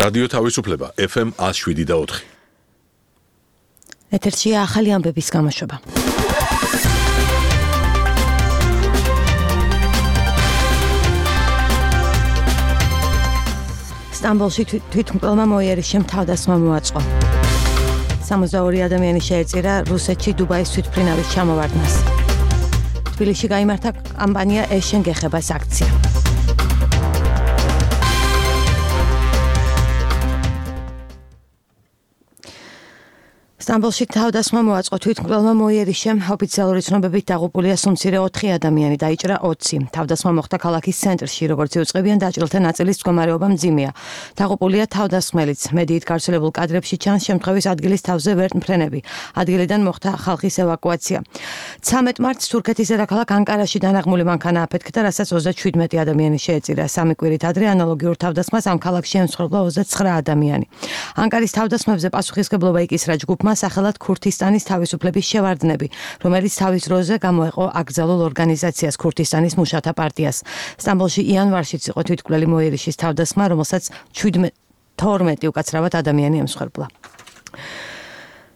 რადიო თავისუფლება FM 107.4. ეთერშია ახალი ამბების გამოშვება. სტამბოლში თვითმკვლელმა მოიერიშემ თავდასხმა მოაწყო. 62 ადამიანი შეეწირა რუსეთში დუბაის თვითმფრინავის ჩამოვარდნას. თბილისში გაიმართა კამპანია ეშენ გეხებას აქცია. სტამბოლში თავდასხმა მოაწყო თვითმკვლელმა მოიერიშემ ოფიციალური ცნობებით დაღუპულია სულ მცირე 4 ადამიანი, დაიჭრა 20. თავდასხმა მოხდა ქალაქის ცენტრში, როგორც იუწყებიან დაჭრილთა ნაწილის მდგომარეობა მძიმეა. დაღუპულია თავდასხმელიც. მედიით გავრცელებულ კადრებში ჩანს შემთხვევის ადგილის თავზე ვერტმფრენები. ადგილიდან მოხდა ხალხის ევაკუაცია. 13 მარტს თურქეთის დედაქალაქ ანკარაში დანაღმული მანქანა აფეთქდა, რასაც 37 ადამიანი შეეწირა. სამი კვირით ადრე ანალოგიურ თავდასხმას ამ ქალაქში ემსხვერპლა 29 ადამიანი. ანკარის თავდასხმებზე პასუხისმგებლობა იკისრა ჯგუფმა სახელად ქურთისტანის თავისუფლების შევარდნები, რომელიც თავის დროზე გამოეყო აკრძალულ ორგანიზაციას ქურთისტანის მუშათა პარტიას. სტამბოლში იანვარშიც იყო თვითმკვლელი მოიერიშის თავდასხმა, რომელსაც 12 უკაცრავად ადამიანი ემსხვერპლა.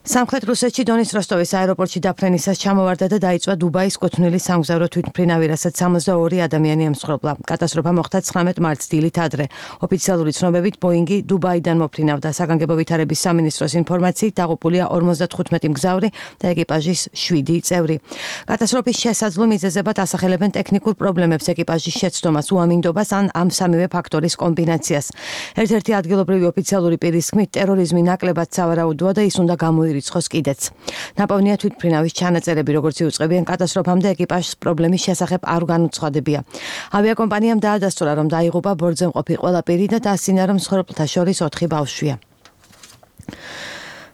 სამხრეთ რუსეთში დონის როსტოვის აეროპორტში დაფრენისას ჩამოვარდა და დაიწვა დუბაის კუთვნილი სამგზავრო თვითმფრინავი, რასაც 62 ადამიანი ემსხვერპლა. კატასტროფა მოხდა 19 მარტს დილით ადრე. ოფიციალური ცნობებით ბოინგი დუბაიდან მოფრინავდა. საგანგებო ვითარების სამინისტროს ინფორმაციით დაღუპულია 55 მგზავრი და ეკიპაჟის 7 წევრი. კატასტროფის შესაძლო მიზეზებად ასახელებენ ტექნიკურ პრობლემებს, ეკიპაჟის შეცდომას, უამინდობას ან ამ სამივე ფაქტორის კომბინაციას. ერთ-ერთი ადგილობრივი ოფიციალური პირის თქმით, ტერორიზმი ნაკლებად სავარაუდოა და ის უნდა გამოირიცხოს კიდეც. ნაპოვნია თვითმფრინავის ჩანაწერები, როგორც იუწყებიან კატასტროფამდე ეკიპაჟს პრობლემის შესახებ არ განუცხადებია. ავიაკომპანიამ დაადასტურა, რომ დაიღუპა ბორტზე მყოფი ყველა პირი და დასცინა, რომ მსხვერპლთა შორის 4 ბავშვია.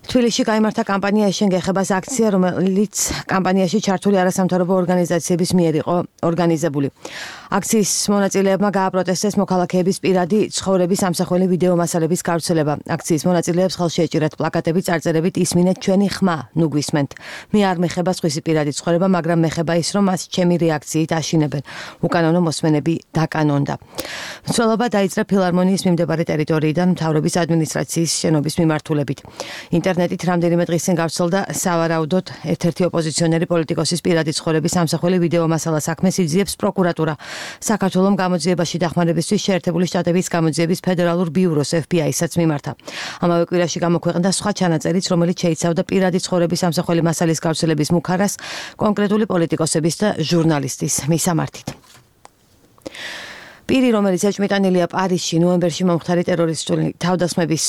თბილისში გაიმართა კამპანია ეშენ გეხებას აქცია, რომელიც კამპანიაში ჩართული არასამთავრობო ორგანიზაციების მიერ იყო ორგანიზებული. აქციის მონაწილეებმა გააპროტესტეს მოქალაქეების პირადი ცხოვრების ამსახველი ვიდეო მასალების გავრცელება. აქციის მონაწილეებს ხელში ეჭირათ პლაკატები წარწერებით „ისმინეთ ჩვენი ხმა, ნუ გვისმენთ. მე არ მეხება სხვისი პირადი ცხოვრება, მაგრამ მეხება ის, რომ მას ჩემი რეაქციით აშინებენ. უკანონო მოსმენები დაკანონდა. მცველობა დაიწყო ფილარმონიის მიმდებარე ტერიტორიიდან მთავრობის ადმინისტრაციის შენობის მიმართულებით. ინტერნეტით რამდენიმე დღის წინ გავრცელდა სავარაუდოდ ერთ-ერთი ოპოზიციონერი პოლიტიკოსის პირადი ცხოვრების ამსახველი ვიდეო მასალა საქმეს იძიებს პროკურატურა. საქართველოს გამოძიებაში დახმარებისთვის შეერთებული შტატების გამოძიების ფედერალურ ბიუროს FBI-საც მიმართა. ამავე კვირაში გამოქვეყნდა სხვა ჩანაწერიც, რომელიც შეიცავდა პირადი ცხოვრების ამსახველი მასალის გავრცელების მუქარას კონკრეტული პოლიტიკოსების და ჟურნალისტის მისამართით. პირი, რომელიც ეჭვმიტანილია პარიზში ნოემბერში მომხდარი ტერორისტული თავდასხმების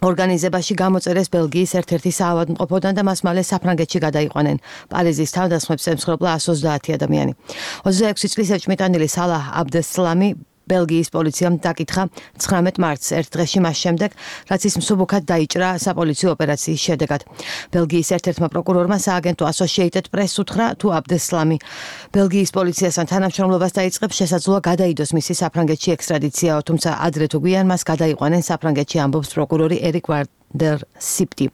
ორგანიზებაში გამოწერეს ბელგიის ერთ-ერთი საავადმყოფოდან და მას მალე საფრანგეთში გადაიყვანენ. პარიზის თავდასხმებს ემსხვერპლა 130 ადამიანი. 26 წლის ეჭვმიტანილი სალაჰ აბდესლამი ბელგიის პოლიციამ დაკითხა 19 მარტს, ერთ დღეში მას შემდეგ, რაც ის მსუბუქად დაიჭრა საპოლიციო ოპერაციის შედეგად. ბელგიის ერთ-ერთმა პროკურორმა სააგენტო Associated Press უთხრა, თუ აბდესლამი ბელგიის პოლიციასთან თანამშრომლობას დაიწყებს, შესაძლოა გადაიდოს მისი საფრანგეთში ექსტრადიციაო, თუმცა ადრე თუ გვიან მას გადაიყვანენ საფრანგეთში, ამბობს პროკურორი ერიკ der Sipti.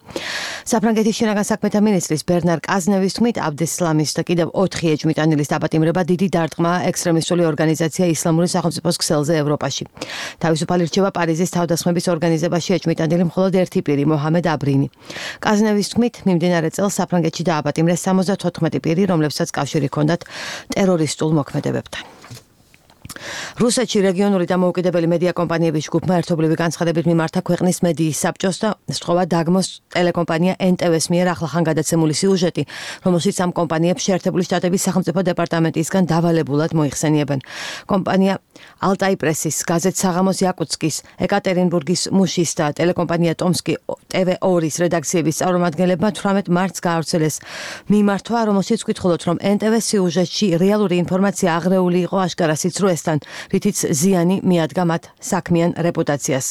საფრანგეთის შინაგან საქმეთა მინისტრის ბერნარ კაზნევის თქმით, აბდესლამის და კიდევ 4 ეჭვმიტანილის დაპატიმრება დიდი დარტყმაა ექსტრემისტული ორგანიზაცია ისლამური სახელმწიფოს ქსელზე ევროპაში. თავისუფალი რჩევა პარიზის თავდასხმების ორგანიზებაში ეჭვმიტანილი მხოლოდ ერთი პირი, მოჰამედ აბრინი. კაზნევის თქმით, მიმდინარე წელს საფრანგეთში დააპატიმრეს 74 პირი, რომლებსაც კავშირი ჰქონდათ ტერორისტულ მოქმედებებთან. რუსეთში რეგიონული დამოუკიდებელი მედია კომპანიების ჯგუფმა ერთობლივი განცხადებით მიმართა ქვეყნის მედიის საბჭოს და სთხოვა დაგმოს ტელეკომპანია NTV-ს მიერ ახლახან გადაცემული სიუჟეტი, რომელშიც ამ კომპანიებს შეერთებული შტატების სახელმწიფო დეპარტამენტისგან დავალებულად მოიხსენიებენ. კომპანია ალტაი პრესის, გაზეთ საღამოს იაკუტსკის, ეკატერინბურგის მუშის და ტელეკომპანია ტომსკი TV2-ის რედაქციების წარმომადგენლებმა 18 მარტს გაავრცელეს მიმართვა, რომელშიც ვკითხულობთ, რომ NTV-ს სიუჟეტში რეალური ინფორმაცია აღრეული იყო აშკარასიც როესთან, რითიც ზიანი მიადგა მათ საქმიან რეპუტაციას.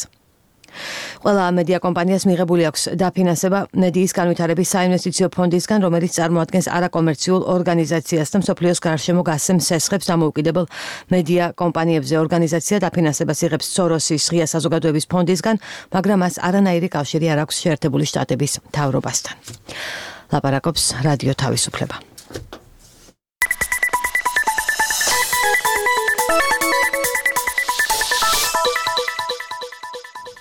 ყველა მედია კომპანიას მიღებული აქვს დაფინანსება მედიის განვითარების საინვესტიციო ფონდისგან, რომელიც წარმოადგენს არაკომერციულ ორგანიზაციას და მსოფლიოს გარშემო გასცემს სესხებს დამოუკიდებელ მედია კომპანიებზე. ორგანიზაცია დაფინანსებას იღებს სოროსის ღია საზოგადოების ფონდისგან, მაგრამ მას არანაირი კავშირი არ აქვს შეერთებული შტატების მთავრობასთან. ლაპარაკობს რადიო თავისუფლება.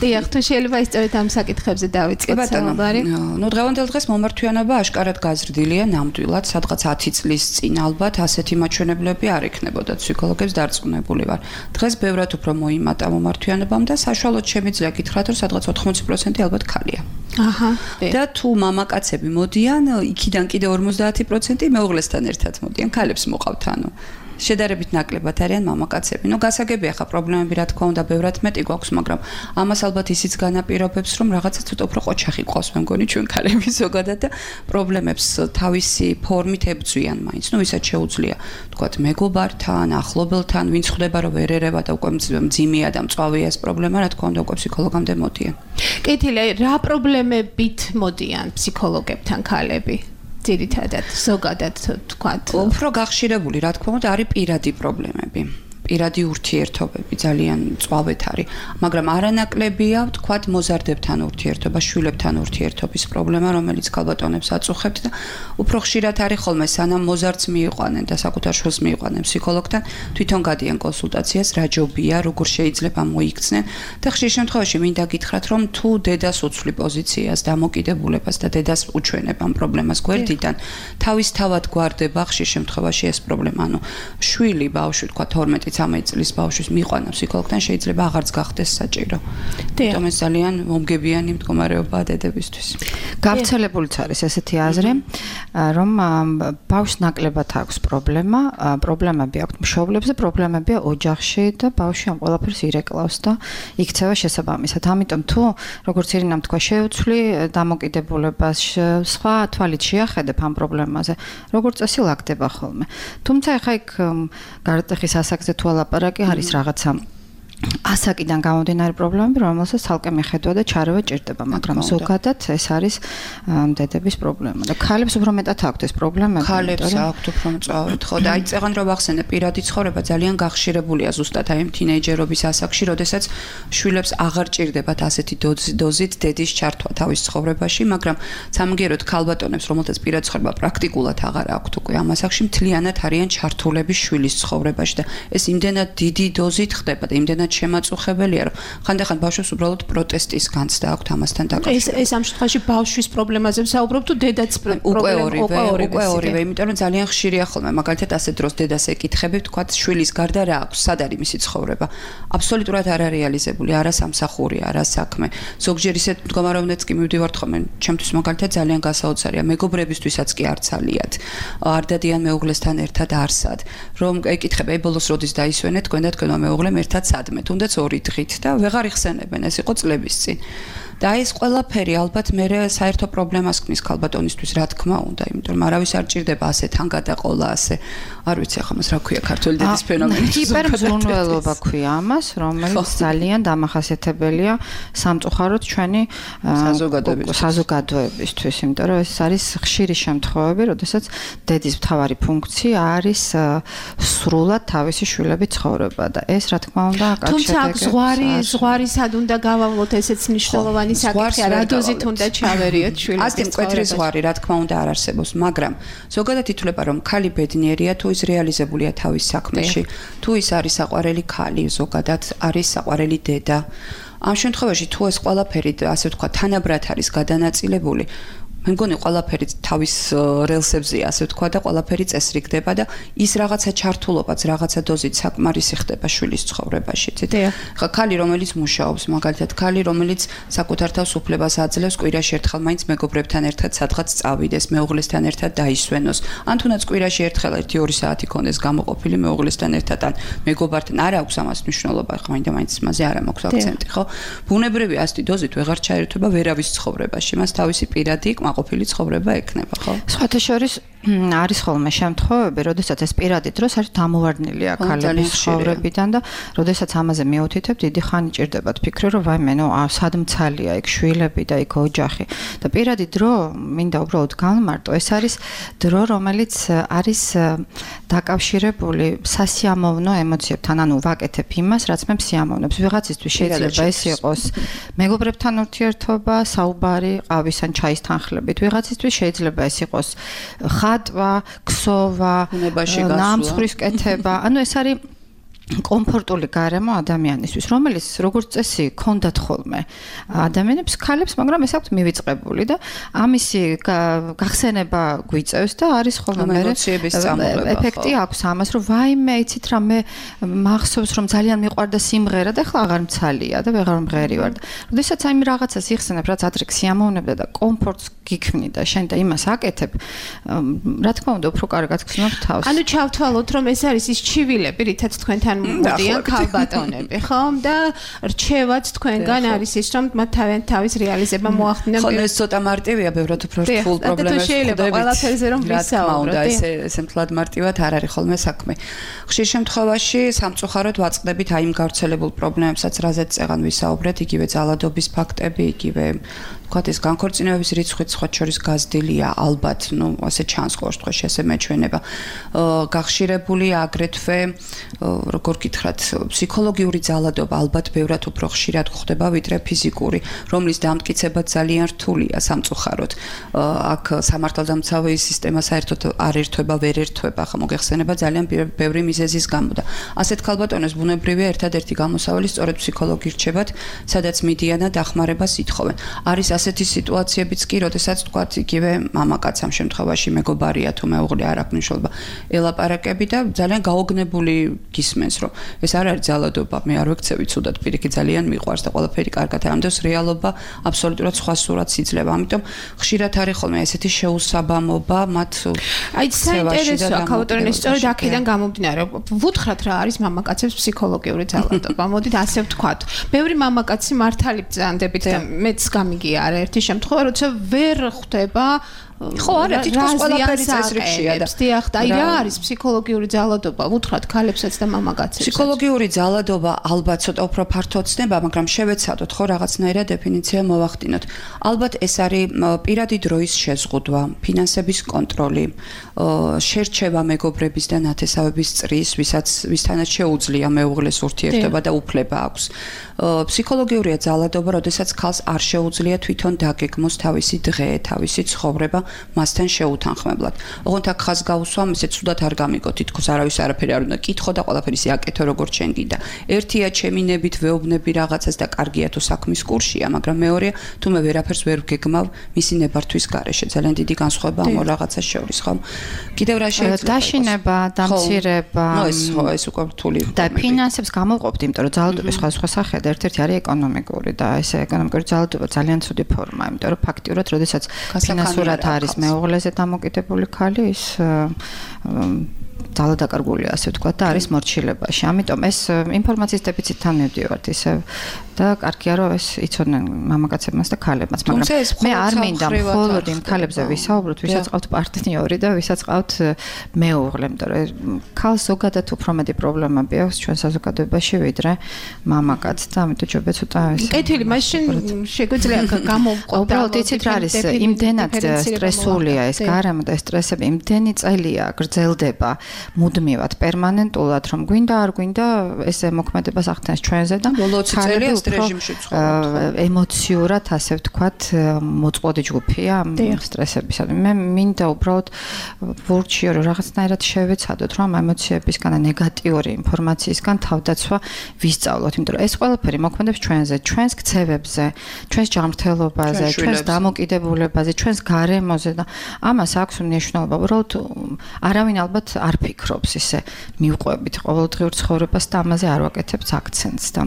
დიახ, თუ შეიძლება ისწორეთ ამ საკითხებზე დავიწყოთ საუბარი. დღევანდელ დღეს მომართვიანობა აშკარად გაზრდილია ნამდვილად, სადღაც 10 წლის წინ ალბათ ასეთი მაჩვენებლები არ ექნებოდა ფსიქოლოგებს დარწმუნებული ვარ. დღეს ბევრად უფრო მოიმატა მომართვიანობამ და საშუალოდ შემიძლია გითხრათ, რომ სადღაც 80% ალბათ ქალია. და თუ მამაკაცები მოდიან, იქიდან კიდე 50% მეუღლესთან ერთად მოდიან, ქალებს მოყავთ ანუ. შედარებით ნაკლებად არიან მამაკაცები. გასაგებია ხა პრობლემები რა თქმა უნდა ბევრად მეტი გვაქვს, მაგრამ ამას ალბათ ისიც განაპირობებს, რომ რაღაცა ცოტა უფრო ყოჩახი ყავს, მე მგონი ჩვენ ქალები ზოგადად და პრობლემებს თავისი ფორმით ებრძვიან მაინც. ვისაც შეუძლია, თქვათ, მეგობართან, ახლობელთან, ვინც ხვდება, რომ ვერ ერევა და უკვე მძიმეა და მწვავეა ეს პრობლემა, რა თქმა უნდა, უკვე ფსიქოლოგამდე მოდიან. კეთილი, რა პრობლემებით მოდიან ფსიქოლოგებთან ქალები? ძირითადად ზოგადად თქვათ უფრო გახშირებული რა თქმა უნდა არის პირადი პრობლემები პირადი ურთიერთობები ძალიან მწვავედ არის მაგრამ არანაკლებია თქვათ მოზარდებთან ურთიერთობა შვილებთან ურთიერთობის პრობლემა რომელიც ქალბატონებს აწუხებთ და უფრო ხშირად არის ხოლმე სანამ მოზარდს მიიყვანენ და საკუთარ შვილს მიიყვანენ ფსიქოლოგთან თვითონ გადიან კონსულტაციას რა ჯობია როგორ შეიძლება მოიქცნენ და ხშირ შემთხვევაში მინდა გითხრათ რომ თუ დედას უცვლი პოზიციას დამოკიდებულებას და დედას უჩვენებ ამ პრობლემას გვერდიდან თავისთავად გვარდება ხშირ შემთხვევაში ეს პრობლემა ანუ შვილი ბავშვი თქვათ 12-13 წლის ბავშვის მიყვანა ფსიქოლოგთან შეიძლება აღარც გახდეს საჭირო. თუმცა ეს ძალიან მომგებიანი მდგომარეობაა დედებისთვის. გავრცელებულიც არის ესეთი აზრი, რომ ბავშვს ნაკლებად აქვს პრობლემა, პრობლემები აქვს მშობლებზე, პრობლემებია ოჯახში და ბავშვი ამ ყველაფერს ირეკლავს და იქცევა შესაბამისად. ამიტომ თუ როგორც ირინამ თქვა შეუცვლი დამოკიდებულებას სხვა თვალით შეახედებ ამ პრობლემაზე, როგორც წესი ლაგდება ხოლმე. თუმცა ეხა იქ გარდატეხის ასაკზე თუ ალაპარაკი არის რაღაცა ასაკიდან გამომდინარე პრობლემები, რომელსაც თალკე მიხედვა და ჩარევა ჭირდება, მაგრამ ზოგადად ეს არის დედების პრობლემა. და ქალებს უფრო მეტად აქვთ ეს პრობლემები. ქალებს აქვთ უფრო მწვავედ, ხო და აი წეგან რომ ვახსენე პირადი ცხოვრება ძალიან გახშირებულია ზუსტად აი თინეიჯერობის ასაკში, როდესაც შვილებს აღარ ჭირდებათ ასეთი დოზით დედის ჩართვა თავის ცხოვრებაში, მაგრამ სამგეროდ ქალბატონებს, რომელთაც პირადი ცხოვრება პრაქტიკულად აღარ აქვთ უკვე ამ ასაკში, მთლიანად არიან ჩართულები შვილის ცხოვრებაში და ეს იმდენად დიდი დოზით ხდება და იმდენად შემაწუხებელია, რომ ხანდახან ბავშვებს უბრალოდ პროტესტის განცდა აქვთ ამასთან დაკავშირებით. ეს ამ შემთხვევაში ბავშვის პრობლემაზე ვსაუბრობ თუ დედაც უკვე ორივე, იმიტომ რომ ძალიან ხშირია ხოლმე, მაგალითად ასეთ დროს დედას ეკითხებით, თქვათ, შვილის გარდა რა აქვს, სად არის მისი ცხოვრება. აბსოლუტურად არ არეალიზებული, არა სამსახური, არა საქმე. ზოგჯერ ისეთ მდგომარეობებიც კი მივდივართ ხოლმე, ჩემთვის მაგალითად ძალიან გასაოცარია, მეგობრებისთვისაც კი არ ცალიათ. არ დადიან მეუღლესთან ერთად არსად. რომ ეკითხებ, ბოლოს როდის დაისვენეთ, თქვენ და თქვენმა მეუღლემ ერთად სადმე თუნდაც 2 დღით და ვეღარ იხსენებენ ეს იყო წლების წინ და ეს ყველაფერი ალბათ მე საერთო პრობლემას ქმნის ქალბატონისთვის რა თქმა უნდა იმიტომ რომ არავის არ ჭირდება ასე თან გადაყოლა ასე არ ვიცი ახლა მას რა ქვია ქართული დედის ფენომენი ჰიპერმზრუნველობა ქვია ამას რომელიც ძალიან დამახასიათებელია სამწუხაროდ ჩვენი საზოგადოებისთვის იმიტომ რომ ეს არის ხშირი შემთხვევები როდესაც დედის მთავარი ფუნქცია არის სრულად თავისი შვილების ცხოვრება და ეს რა თქმა უნდა თუმცა ზღვარი სად უნდა გავავლოთ ესეც მნიშვნელოვანი საკითხია რა დოზით უნდა ჩავერიოთ შვილების ასეთი მკვეთრი ზღვარი რა თქმა უნდა არ არსებობს მაგრამ ზოგადად ითვლება რომ ქალი ბედნიერია თუ ის რეალიზებულია თავის საქმეში თუ ის არის საყვარელი ქალი ზოგადად არის საყვარელი დედა ამ შემთხვევაში თუ ეს ყველაფერი ასე ვთქვა თანაბრად არის გადანაწილებული მე მგონი ყველაფერი თავის რელსებზეა ასე ვთქვა და ყველაფერი წესრიგდება და ის რაღაცა ჩართულობაც რაღაცა დოზით საკმარისი ხდება შვილის ცხოვრებაში ხა ქალი რომელიც მუშაობს მაგალითად ქალი რომელიც საკუთარ თავს უფლებას აძლევს კვირაში ერთხელ მაინც მეგობრებთან ერთად სადღაც წავიდეს მეუღლესთან ერთად დაისვენოს ან თუნდაც კვირაში ერთხელ 1-2 საათი ქონდეს გამოყოფილი მეუღლესთან ერთად ან მეგობართან არ აქვს ამას მნიშვნელობა ხა მაინც მასზე არ მაქვს აქცენტი ხო ბუნებრივი ასეთი დოზით ვეღარ ჩაერთვება ვერავის ცხოვრებაში მას თავისი პირადი ყოფილი ცხოვრება ექნება, ხო? სხვათა შორის არის ხოლმე შემთხვევები, როდესაც ეს პირადი დროს არის დამოვარდნილია ქალების ცხოვრებიდან და როდესაც ამაზე მიუთითებ, დიდი ხანი ჭირდებათ ფიქრი, რომ ვაიმე, სად მცალია იქ შვილები და იქ ოჯახი. და პირადი დრო მინდა უბრალოდ განმარტო, ეს არის დრო, რომელიც არის დაკავშირებული სასიამოვნო ემოციებთან, ანუ ვაკეთებ იმას, რაც მე მსიამოვნებს. ვიღაცისთვის შეიძლება ეს იყოს მეგობრებთან ურთიერთობა, საუბარი, ყავის ან ჩაის თანხლებით. ვიღაცისთვის შეიძლება ეს იყოს ხატვა, ქსოვა, ნამსხვრისკეთება. ანუ ეს არის კომფორტული გარემო ადამიანისთვის, რომელიც როგორც წესი ქონდათ ხოლმე ადამიანებს, ქალებს, მაგრამ ეს აქვთ მივიწყებული და ამისი გახსენება გვიწევს და არის ხოლმე ეფექტი აქვს ამას, რომ ვაიმე, იცით რა, მე მახსოვს რომ ძალიან მიყვარდა სიმღერა და ახლა აღარ მცალია და ვეღარ მღერი ვარ. როდესაც აი რაღაცას იხსენებ, რაც ადრე სიამოვნებდა და კომფორტს გიქმნი და შენ და იმას აკეთებ, რა თქმა უნდა, უფრო კარგად გრძნობ თავს. ანუ ჩავთვალოთ, რომ ეს არის ის ჩივილები, რითაც თქვენთან მოდიან ქალბატონები, ხომ? და რჩევაც თქვენგან არის ის, რომ მათ თავის რეალიზება მოახდინონ. ხო, ეს ცოტა მარტივია, ბევრად უფრო რთულ პრობლემებს შეიძლება ყველაფერზე რომ ვისაუბროთ. ესე მთლად მარტივად არ არის ხოლმე საქმე. ხშირ შემთხვევაში სამწუხაროდ ვაწყდებით აი იმ გავრცელებულ პრობლემებსაც, რაზეც წეგან ვისაუბრეთ, იგივე ძალადობის ფაქტები, იგივე ვთქვათ, ეს განქორწინებების რიცხვიც სხვა შორის გაზრდილია, ალბათ, ასე ჩანს ყოველ შემთხვევაში, ასე მეჩვენება. გახშირებულია აგრეთვე, როგორ გითხრათ, ფსიქოლოგიური ძალადობა, ალბათ ბევრად უფრო ხშირად გვხდება, ვიდრე ფიზიკური, რომლის დამტკიცება ძალიან რთულია სამწუხაროდ. აქ სამართალდამცავი სისტემა საერთოდ არ ერთვება, ვერ ერთვება, ხა მოგეხსენება ძალიან ბევრი მიზეზის გამო და ასეთ ქალბატონებს ბუნებრივია ერთადერთი გამოსავალი სწორედ ფსიქოლოგი რჩებათ, სადაც მიდიან და დახმარებას ითხოვენ. არის ასეთი სიტუაციებიც კი, როდესაც თქვათ, იგივე მამაკაც ამ შემთხვევაში მეგობარია თუ მეუღლე არ აქვს მნიშვნელობა, ელაპარაკები და ძალიან გაოგნებული გისმენს, რომ ეს არ არის ძალადობა, მე არ ვექცევი ცუდად, პირიქით ძალიან მიყვარს და ყველაფერი კარგად ამბობს, რეალობა აბსოლუტურად სხვა სურათს იძლევა. ამიტომ ხშირად არის ხოლმე ესეთი შეუსაბამობა მათ აი საინტერესოა ქალბატონი სწორედ აქედან გამომდინარე, ვუთხრათ რა არის მამაკაცებს ფსიქოლოგიური ძალადობა. მოდით ასე ვთქვათ. ბევრი მამაკაცი მართალი ბრძანდებით და მეც გამიგია არაერთი შემთხვევა, როცა ვერ ხვდება ხო არა თითქოს ყველაფერი წესრიგშია და დიახ, აი რა არის ფსიქოლოგიური ძალადობა, ვუთხრათ ქალებსაც და მამაკაცებსაც. ფსიქოლოგიური ძალადობა ალბათ ცოტა უფრო ფართოდ ცნება, მაგრამ შევეცადოთ ხო რაღაცნაირად დეფინიცია მოვახდინოთ. ალბათ ეს არის პირადი დროის შეზღუდვა, ფინანსების კონტროლი, შერჩევა მეგობრების და ნათესავების წრის, ვისთანაც შეუძლია მეუღლეს ურთიერთობა და უფლება აქვს. ფსიქოლოგიურია ძალადობა, როდესაც ქალს არ შეუძლია თვითონ დაგეგმოს თავისი დღე, თავისი ცხოვრება მასთან შეუთანხმებლად. ოღონდ აქ ხაზს გავუსვამ, ისე ცუდად არ გამიგო, თითქოს არავის არაფერი არ უნდა კითხო და ყველაფერი ისე აკეთო როგორც შენ გინდა. ერთია ჩემი ნებით ვეუბნები რაღაცას და კარგია თუ საქმის კურსია, მაგრამ მეორეა თუ მე ვერაფერს ვერ ვგეგმავ მისი ნებართვის გარეშე. ძალიან დიდი განსხვავება ამ რაღაცას შორის, ხო? კიდევ რა შეიძლება დაშინება, დამცირება, ეს უკვე რთული და ფინანსებს გამოვყოფთ, იმიტომ რომ ძალადობის სხვადასხვა სახეა და ერთ-ერთი არის ეკონომიკური და ეს ეკონომიკური ძალადობა ძალიან ცუდი ფორმაა, იმიტომ რომ ფაქტიურად, როდესაც ფინანსურად არის მეუღლეზე დამოკიდებული ქალი, ის ძალადაკარგულია, ასე ვთქვათ, და არის მორჩილებაში. ამიტომ ეს ინფორმაციის დეფიციტთან მივდივართ ისევ და კარგია რომ ეს იცოდნენ მამაკაცებმაც და ქალებმაც, მაგრამ მე არ მინდა მხოლოდ იმ ქალებზე ვისაუბროთ, ვისაც ყავთ პარტნიორი და ვისაც ყავთ მეუღლე, იმიტომ რომ ქალს ზოგადად უფრო მეტი პრობლემები აქვს ჩვენ საზოგადოებაში ვიდრე მამაკაცს და ამიტომ ჯობია ცოტა ეს კეთილი, მაშინ შეგვიძლია გამოვყოთ. უბრალოდ იცით რა არის, იმდენად სტრესულია ეს გარემო და ეს სტრესები იმდენი წელია გრძელდება მუდმივად, პერმანენტულად, რომ გვინდა არ გვინდა ესე მოქმედებას ახდენს ჩვენზე და ბოლო 20 წელია ეს რეჟიმში ცხოვრობთ. ემოციურად, ასე ვთქვათ, მოწყობილი ჯგუფია სტრესებისა. მე მინდა უბრალოდ ვურჩიო, რომ რაღაცნაირად შევეცადოთ, რომ ემოციებისგან და ნეგატიური ინფორმაციისგან თავდაცვა ვისწავლოთ, იმიტომ რომ ეს ყველაფერი მოქმედებს ჩვენზე, ჩვენს ქცევებზე, ჩვენს ჯანმრთელობაზე, ჩვენს დამოკიდებულებაზე, ჩვენს გარემოზე და ამას აქვს მნიშვნელობა. უბრალოდ არავინ ალბათ არ ფიქრობს ისე მივყვებით ყოველდღიურ ცხოვრებას და ამაზე არ ვაკეთებთ აქცენტს და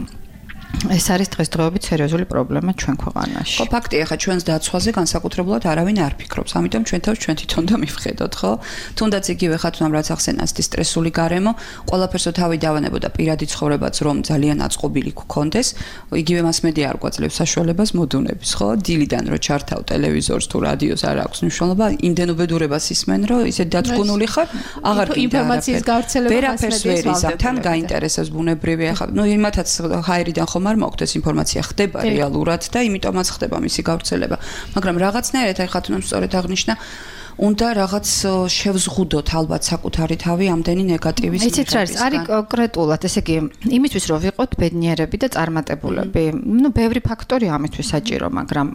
ეს არის დღესდღეობით სერიოზული პრობლემა ჩვენ ქვეყანაში. ხო, ფაქტია, ხა ჩვენს დაცვაზე განსაკუთრებულად არავინ არ ფიქრობს. ამიტომ ჩვენ თავს ჩვენ თვითონ და მივხედოთ, ხო? თუნდაც იგივე ხათუნამ რაც ახსენას ის სტრესული გარემო, ყველაფერსო თავი დავანებოდა პირადი ცხოვრებაც რომ ძალიან აწყობილი გქონდეს, იგივე მასმედია არ გვაძლევს საშუალებას მოდუნების, ხო? დილიდან რო ჩართავ ტელევიზორს თუ რადიოს არ აქვს მნიშვნელობა, იმდენ უბედურებას ისმენ, რომ ისე დაწკუნული ხარ, აღარ გინდა ინფორმაციის გავრცელება ვერაფერს ვერ იზამ, თან გაინტერესებს ბუნებრივია, ხა. იმათაც ჰაერიდან ხომ არ მოგდეს ინფორმაცია ხდება რეალურად და იმიტომაც ხდება მისი გავრცელება. მაგრამ რაღაცნაირად აი ხათუნამ სწორედ აღნიშნა უნდა რაღაც შევზღუდოთ ალბათ საკუთარი თავი ამდენი ნეგატივის მიღებისგან. იცით რა არის კონკრეტულად, ესე იგი, იმისთვის რომ ვიყოთ ბედნიერები და წარმატებულები. ბევრი ფაქტორია ამისთვის საჭირო, მაგრამ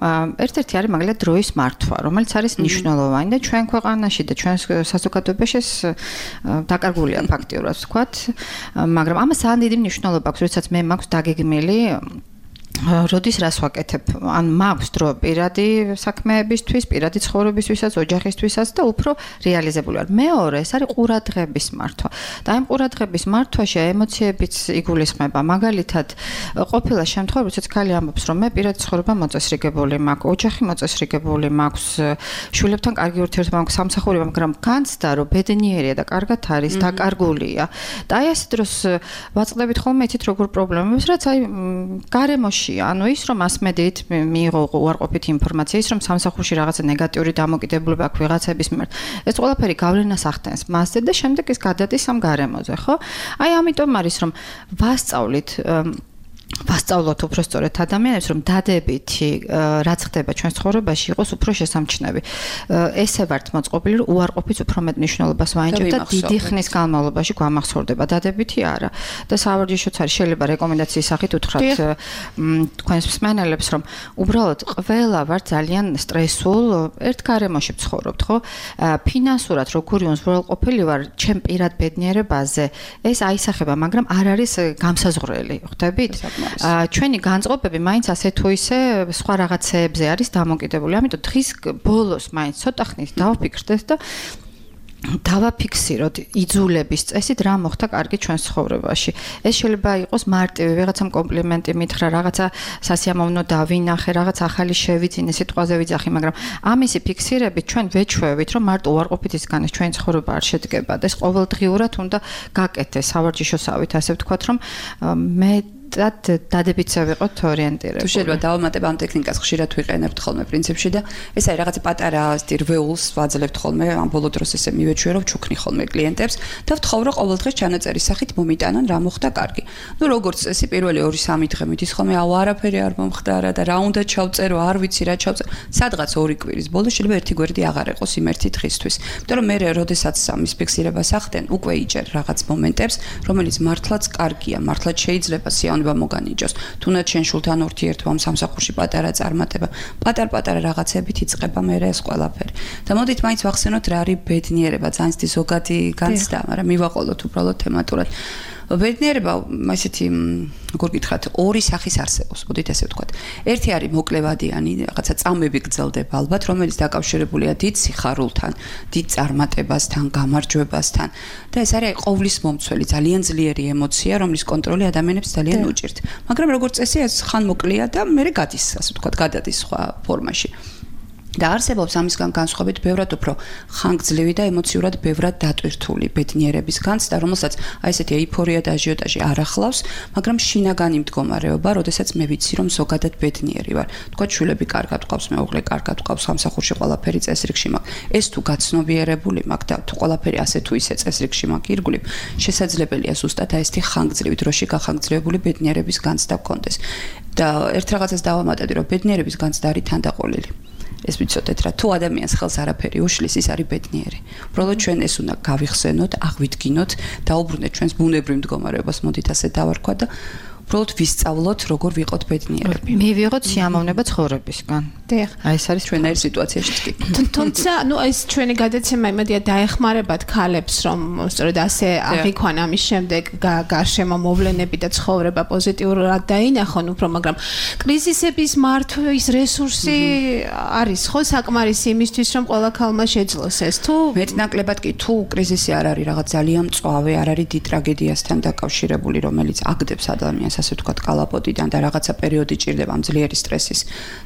ერთ-ერთი არის მაგალითად დროის მართვა, რომელიც არის მნიშვნელოვანი და ჩვენ ქვეყანაში და ჩვენ საზოგადოებაში ეს დაკარგულია ფაქტიურად ვთქვათ, მაგრამ ამას ძალიან დიდი მნიშვნელობა აქვს, როდესაც მე მაქვს დაგეგმილი როდის რას ვაკეთებ? ან მაქვს დრო პირადი საქმეებისთვის, პირადი ცხოვრებისთვისაც, ოჯახისთვისაც და უფრო რეალიზებული ვარ. მეორე, ეს არის ყურადღების მართვა. და იმ ყურადღების მართვაში ემოციებიც იგულისხმება. მაგალითად, ყოფილა შემთხვევაში, როდესაც ქალი ამბობს, რომ მე პირადი ცხოვრება მოწესრიგებული მაქვს, ოჯახი მოწესრიგებული მაქვს, შვილებთან კარგი ურთიერთობა მაქვს, სამსახური, მაგრამ განცდა, რომ ბედნიერია და კარგად არის, დაკარგულია. და აი ეს დროს ვაწყდებით ხოლმე იცით როგორ პრობლემებს, რაც აი გარემოში ანუ ის რომ მასმედიით მიიღო უარყოფითი ინფორმაცია, ის რომ სამსახურში რაღაცა ნეგატიური დამოკიდებულება აქვს ვიღაცების მიმართ. ეს ყველაფერი გავლენას ახდენს მასზე და შემდეგ ის გადადის ამ გარემოზე, ხო? აი ამიტომ არის რომ ვასწავლოთ უფრო სწორედ ადამიანებს, რომ დადებითი რაც ხდება ჩვენს ცხოვრებაში იყოს უფრო შესამჩნევი. ესე ვართ მოწყობილი, რომ უარყოფით უფრო მეტ მნიშვნელობას ვაენიჭებთ და დიდი ხნის განმავლობაში გვამახსოვრდება. დადებითი არა. და სავარჯიშოც არის, შეიძლება რეკომენდაციის სახით უთხრათ თქვენს მსმენელებს, რომ უბრალოდ ყველა ვართ ძალიან სტრესულ ერთ გარემოში ვცხოვრობთ, ხო? ფინანსურად როგორი უზრუნველყოფილი ვარ ჩემ პირად ბედნიერებაზე, ეს აისახება, მაგრამ არ არის გამსაზღვრელი, ხვდებით? ჩვენი განწყობები მაინც ასე თუ ისე სხვა რაღაცეებზე არის დამოკიდებული. ამიტომ დღის ბოლოს მაინც ცოტა ხნით დავფიქრდეთ და დავაფიქსიროთ იძულების წესით რა მოხდა კარგი ჩვენს ცხოვრებაში. ეს შეიძლება იყოს მარტივი ვიღაცამ კომპლიმენტი მითხრა, რაღაცა სასიამოვნო დავინახე, რაღაც ახალი შევიძინე, სიტყვაზე ვიძახი, მაგრამ ამისი ფიქსირებით ჩვენ ვეჩვევით, რომ მარტო უარყოფითისგან ჩვენი ცხოვრება არ შედგება და ეს ყოველდღიურად უნდა გაკეთდეს სავარჯიშოსავით, ასე ვთქვათ, რომ მე დადებითზე ვიყოთ ორიენტირებული. თუ შეიძლება დავამატებ ამ ტექნიკას ხშირად ვიყენებთ ხოლმე პრინციპში და ეს არის რაღაცა პატარა რვეულს ვაძლევთ ხოლმე ამ ბოლო დროს ესე მივეჩვიე რომ ჩუქნი ხოლმე კლიენტებს და ვთხოვ რომ ყოველდღეს ჩანაწერის სახით მომიტანონ რა მოხდა კარგი. ნუ როგორც წესი პირველი 2-3 დღე მიდის ხოლმე არაფერი არ მომხდარა და რა უნდა ჩავწერო, არ ვიცი რა ჩავწერო. სადღაც 2 კვირის ბოლოს შეიძლება ერთი გვერდი აღარ იყოს იმ ერთი დღისთვის. იმიტომ რომ მე როდესაც ამის ფიქსირებას ახდენ, უკვე იჭერ რაღაც მომენტებს, რომელიც მართლაც კარგია, მართლაც შეიძლება მოგანიჭოს. თუნდაც შენ შულთან ურთიერთობამ სამსახურში პატარა წარმატება, პატარ-პატარა რაღაცებით იწყება მე ეს ყველაფერი. და მოდით მაინც ვახსენოთ რა არის ბედნიერება, ძალიან დიდი ზოგადი განცდა, მაგრამ მივაყოლოთ უბრალოდ თემატურად. ბედნიერება, ესეთი, როგორ გითხრათ, ორი სახის არსებობს, მოდით ესე ვთქვათ. ერთი არის მოკლევადიანი, რაღაცა წამები გრძელდება ალბათ, რომელიც დაკავშირებულია დიდ სიხარულთან, დიდ წარმატებასთან, გამარჯვებასთან და ეს არის ყოვლის მომცველი, ძალიან ძლიერი ემოცია, რომლის კონტროლი ადამიანებს ძალიან უჭირთ. მაგრამ როგორც წესი, ეს ხან მოკლეა და მერე გადის, ასე ვთქვათ, გადადის სხვა ფორმაში. და არსებობს ამისგან განსხვავებით ბევრად უფრო ხანგრძლივი და ემოციურად ბევრად დატვირთული ბედნიერების განცდა, რომელსაც აი ესეთი ეიფორია და აჟიოტაჟი არ ახლავს, მაგრამ შინაგანი მდგომარეობა, როდესაც მე ვიცი, რომ ზოგადად ბედნიერი ვარ. თქვათ, შვილები კარგად ყავს, მეუღლე კარგად ყავს, სამსახურში ყველაფერი წესრიგში მაქვს. ეს თუ გაცნობიერებული მაქვს და თუ ყველაფერი ასე თუ ისე წესრიგში მაქვს ირგვლივ, შესაძლებელია ზუსტად აი ესეთი ხანგრძლივი დროში გახანგრძლივებული ბედნიერების განცდა გქონდეს. და ერთ რაღაცას დავამატებდი, რომ ბედნიერების განცდა არის თანდაყოლილი. ეს ვიცოდეთ რა, თუ ადამიანს ხელს არაფერი უშლის, ის არის ბედნიერი. უბრალოდ ჩვენ ეს უნდა გავიხსენოთ, აღვიდგინოთ, დაუბრუნდეთ ჩვენს ბუნებრივ მდგომარეობას, მოდით ასე დავარქვა და უბრალოდ ვისწავლოთ, როგორ ვიყოთ ბედნიერები. მივიღოთ სიამოვნება ცხოვრებისგან. დიახ. აი ეს არის ჩვენაირი სიტუაციაშიც კი. თუმცა, ნუ ეს ჩვენი გადაცემა იმედია დაეხმარებათ ქალებს, რომ სწორედ ასე აღიქვან ამის შემდეგ გარშემო მოვლენები და ცხოვრება პოზიტიურად დაინახონ უფრო, მაგრამ კრიზისების მართვის რესურსი არის ხო საკმარისი იმისთვის, რომ ყველა ქალმა შეძლოს ეს თუ მეტნაკლებად კი თუ კრიზისი არ არის რაღაც ძალიან მწვავე, არ არის დიდ ტრაგედიასთან დაკავშირებული, რომელიც აგდებს ადამიანს ასე ვთქვათ კალაპოტიდან და რაღაცა პერიოდი ჭირდება ამ ძლიერი სტრესის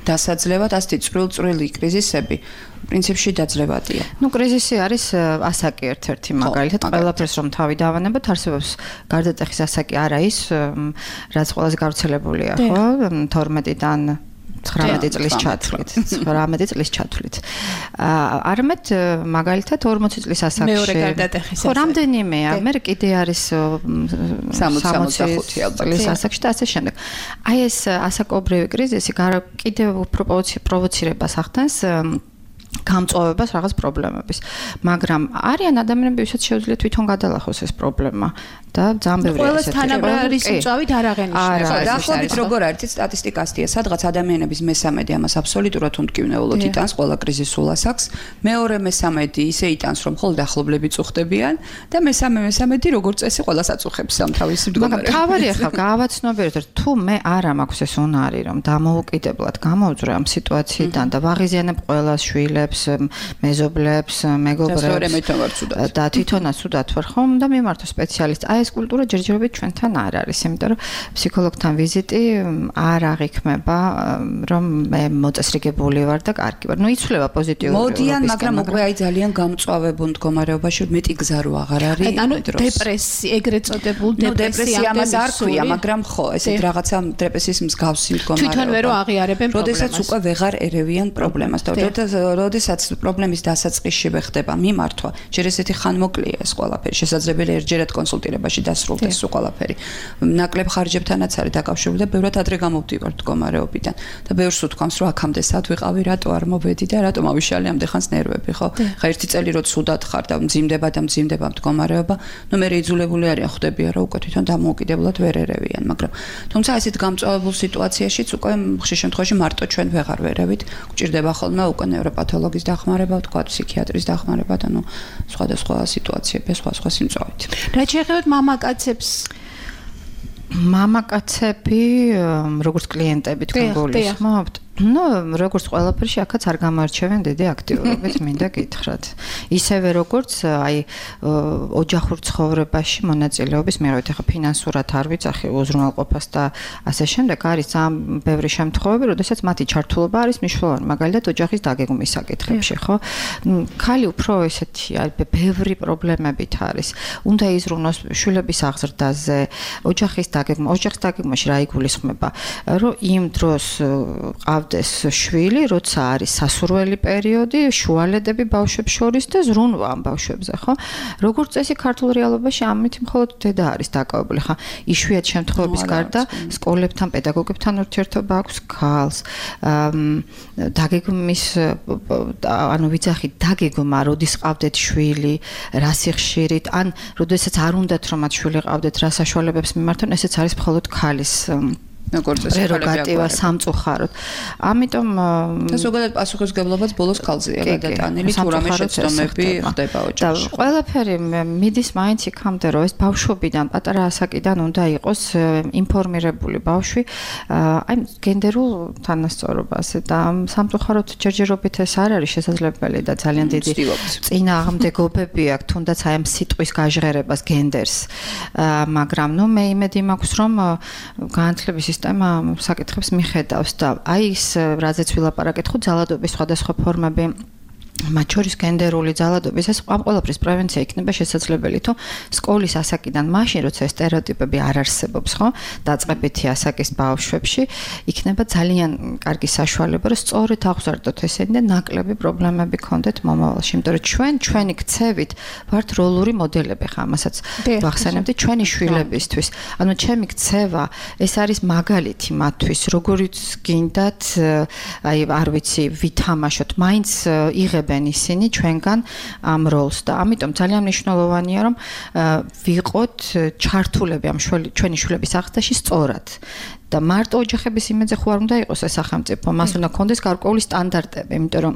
დასაძლევად, ასეთი წვრილ-წვრილი კრიზისები პრინციპში დაძლებადია. ნუ კრიზისი არის ასაკი ერთ-ერთი მაგალითად, ყველაფერს რომ თავი დავანებოთ, არსებობს გარდატეხის ასაკი არა ის, რაც ყველაზე გავრცელებულია, ხო? 12-დან 19 წლის ჩათვლით, 19 წლის ჩათვლით. არამედ მაგალითად 40 წლის ასაკში. მეორე გარდატეხის ასაკი. ხო, რამდენიმეა, მე კიდე არის 65 წლის ასაკში და ასე შემდეგ. აი ეს ასაკობრივი კრიზისი კიდევ უფრო პროვოცირებას ახდენს გამწვავებას რაღაც პრობლემების. მაგრამ არიან ადამიანები, ვისაც შეუძლია თვითონ გადალახოს ეს პრობლემა და ძალიან ბევრი ესეთი. ყველას თანაბრარის მწვავით არ აღენიშნება. დაახლოებით როგორ არის სტატისტიკასტია, სადღაც ადამიანების მესამედი ამას აბსოლუტურად უმტკივნეულოდ იტანს, ყველა კრიზისულ ასაკს. მეორე მესამედი ისე იტანს, რომ მხოლოდ ახლობლები წუხდებიან და მესამედი როგორც წესი ყველას აწუხებს ამ თავისი მდგომარეობა. მაგრამ თავი ახლა გავაცნობიეროთ, რომ თუ მე არ მაქვს ეს უნარი, რომ დამოუკიდებლად გამოვძვრე ამ სიტუაციიდან და ვაღიზიანებ ყველას შვილებს, მეზობლებს, მეგობრებს და თვითონაც უდათ ვარ ხომ და მიმართო სპეციალისტს. აი ეს კულტურა ჯერჯერობით ჩვენთან არ არის, იმიტომ რომ ფსიქოლოგთან ვიზიტი არ აღიქმება, რომ მე მოწესრიგებული ვარ და კარგი ვარ. იცვლება პოზიტიური. მოდიან, მაგრამ უკვე აი ძალიან გამწვავებულ მდგომარეობაში მეტი გზა რო აღარ არის. ანუ დეპრესია, ეგრეთ წოდებულ დეპრესია ამას არ ქვია, მაგრამ ხო, ესეთ რაღაცა დეპრესიის მსგავსი მდგომარეობა. თვითონ ვერ აღიარებენ პრობლემას. როდესაც უკვე ვეღარ ერევიან პრობლემას და როდესაც პრობლემის დასაწყისშივე ხდება მიმართვა, ჯერ ესეთი ხანმოკლეა ეს ყველაფერი, შესაძლებელია ერთჯერად კონსულტირებაში დასრულდეს ეს ყველაფერი. ნაკლებ ხარჯებთანაც არის დაკავშირებული და ბევრად ადრე გამოვდივართ მდგომარეობიდან და ბევრს უთქვამს, რომ აქამდე სად ვიყავი, რატო არ მოვედი და რატომ ავიშალე ამდე ხანს ნერვები, ხო? ხა ერთი წელი რო ცუდად ხარ და მძიმდება მდგომარეობა, ნუ მე იძულებული არიან ხვდებიან, რომ უკვე თვითონ დამოუკიდებლად ვერ ერევიან, მაგრამ თუმცა ესეთ გამწვავებულ სიტუაციაშიც უკვე ხშირ შემთხვევაში მარტო ჩვენ ვეღარ ვერევით, გვჭირდება ხოლმე უკვე ნევროპათოლოგის დახმარება, თქვა ფსიქიატრის დახმარება და ნუ სხვადასხვა სიტუაციები, სხვა სიმწვავით. რა შეეხებათ მამაკაცებს? მამაკაცები, როგორც კლიენტები თქვენ გულისხმობთ? Ну, როგორც ყველაფერში აქაც არ გამოარჩევენ დიდი აქტიურობით, მინდა გითხრათ. ისევე როგორც აი ოჯახურ ცხოვრებაში მონაწილეობის მიღებით, ახლა ფინანსურად არ ვიცახი უზრუნველყოფას და ასე შემდეგ, არის ძალიან ბევრი შემთხვევები, როდესაც მათი ჩართულობა არის მნიშვნელოვანი, მაგალითად ოჯახის დაგეგმვის საკითხებში, ხო? ქალი უფრო ესეთი არის, ბევრი პრობლემებით არის. უნდა იზრუნოს შვილების აღზრდაზე, ოჯახის დაგეგმვაში რა იგულისხმება, რომ იმ დროს ეს შვილი, როცა არის სასურველი პერიოდი, შუალედები ბავშვებს შორის და ზრუნვა ამ ბავშვებზე, ხო? როგორც წესი ქართულ რეალობაში ამით მხოლოდ დედა არის დაკავებული, ხა? იშვიათ შემთხვევების გარდა სკოლებთან, პედაგოგებთან ურთიერთობა აქვს ქალს. დაგეგმვის ანუ ვიცახი დაგეგმა, როდის ყავდეთ შვილი, რა სიხშირით, ან როდესაც არ უნდათ რომ მათ შვილი ყავდეთ, რა საშუალებებს მიმართონ, ესეც არის მხოლოდ ქალის პრეროგატივა სამწუხაროდ. ამიტომ და ზოგადად პასუხისმგებლობაც ბოლოს ქალზეა გადატანილი, თუ რამე შეცდომები ხდება ოჯახში. და ყველაფერი მიდის მაინც იქამდე, რომ ეს ბავშვობიდან, პატარა ასაკიდან უნდა იყოს ინფორმირებული ბავშვი აი გენდერულ თანასწორობაზე და სამწუხაროდ ჯერჯერობით ეს არ არის შესაძლებელი და ძალიან დიდი წინააღმდეგობები აქვს, თუნდაც აი ამ სიტყვის გაჟღერებას გენდერს. მაგრამ ნუ მე იმედი მაქვს, რომ განათლების სისტემა საკითხებს მიხედავს და აი ის რაზეც ვილაპარაკეთ, ხო ძალადობის სხვადასხვა ფორმები მათ შორის გენდერული ძალადობის ეს ამ ყველაფრის პრევენცია იქნება შესაძლებელი თუ სკოლის ასაკიდან მაშინ როცა სტერეოტიპები არ არსებობს ხო დაწყებითი ასაკის ბავშვებში იქნება ძალიან კარგი საშუალება რომ სწორედ აღზარდოთ ესენი და ნაკლები პრობლემები გქონდეთ მომავალში იმიტომ რომ ჩვენი ქცევით ვართ როლური მოდელები ხა ამასაც ვახსენებდი ჩვენი შვილებისთვის ანუ ჩემი ქცევა ეს არის მაგალითი მათთვის როგორიც გინდათ აი არ ვიცი ვითამაშოთ მაინც იღებენ ისინი ჩვენგან ამ როლს და ამიტომ ძალიან მნიშვნელოვანია რომ ვიყოთ ჩართულები ამ ჩვენი შვილების აღზრდაში სწორად და მარტო ოჯახების იმედზე ხო არ უნდა იყოს ეს სახელმწიფო მას უნდა ქონდეს გარკვეული სტანდარტები იმიტომ რომ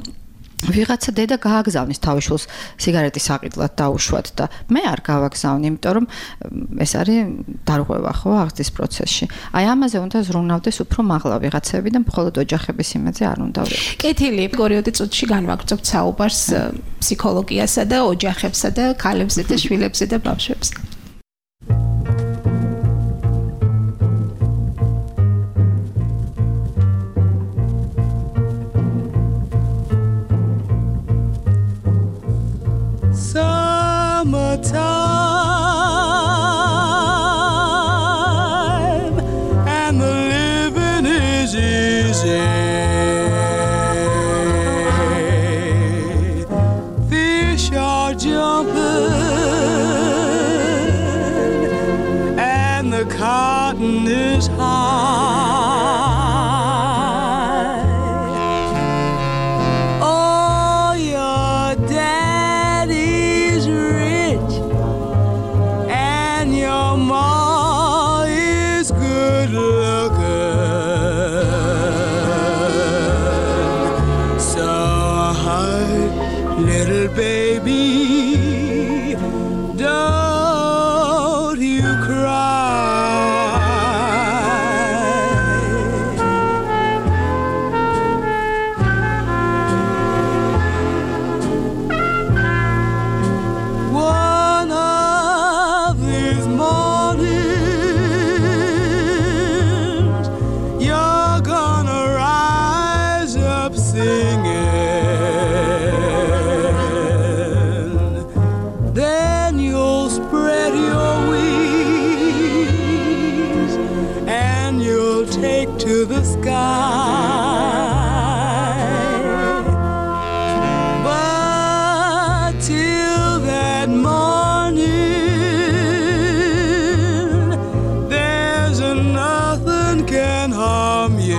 ვიღაცა დედა გააგზავნის თავის შვილს სიგარეტის საყიდლად დაუშვათ და მე არ გავაგზავნი იმიტომ რომ ეს არის დარღვევა ხო აღზრდის პროცესში აი ამაზე უნდა ზრუნავდეს უფრო მაღლა ვიღაცები და მხოლოდ ოჯახების იმედზე არ უნდა ვიყოთ კეთილი პერიოდი წუთში განვაგრძობთ საუბარს ფსიქოლოგიასა და ოჯახებსა და ქალებსა და შვილებსა და ბავშვებზე Summertime and the living is easy. Fish are jumping and the cotton is high. Oh little baby, don't you cry. One of these mornings, you're gonna rise up singing. Then you'll spread your wings and you'll take to the sky. But till that morning, there's nothing can harm you.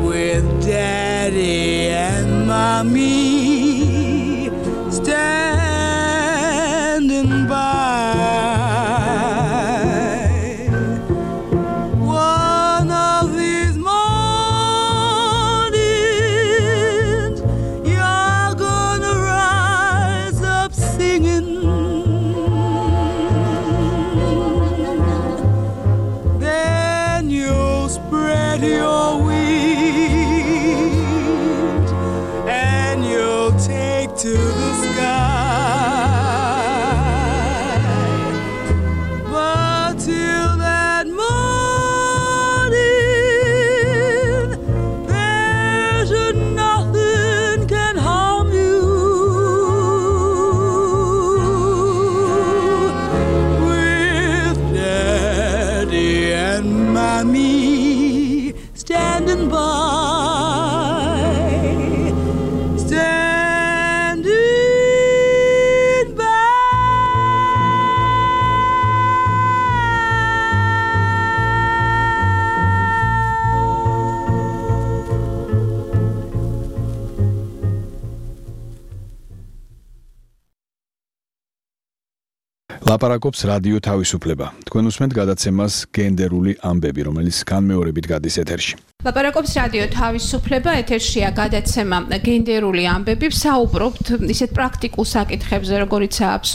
With Daddy and Mommy standing by, one of these mornings, you're gonna rise up singing. Then you'll spread your wings and you'll take to the sky. But till that morning, there's nothing can harm you. With Daddy and Mommy standing by, standing by. ლაპარაკობს რადიო თავისუფლება. თქვენ უსმენთ გადაცემას გენდერული ამბები, რომელიც განმეორებით გადის ეთერში. ლაპარაკობს რადიო თავისუფლება, ეთერშია გადაცემა გენდერული ამბები. ვსაუბრობთ ისეთ პრაქტიკულ საკითხებზე,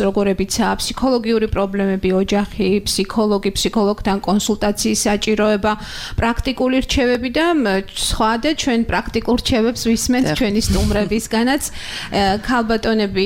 როგორებიცაა ფსიქოლოგიური პრობლემები, ოჯახი, ფსიქოლოგთან კონსულტაციის საჭიროება, პრაქტიკული რჩევები და სხვა და ჩვენ პრაქტიკულ რჩევებს ვისმენთ ჩვენი სტუმრებისგანაც. ქალბატონები,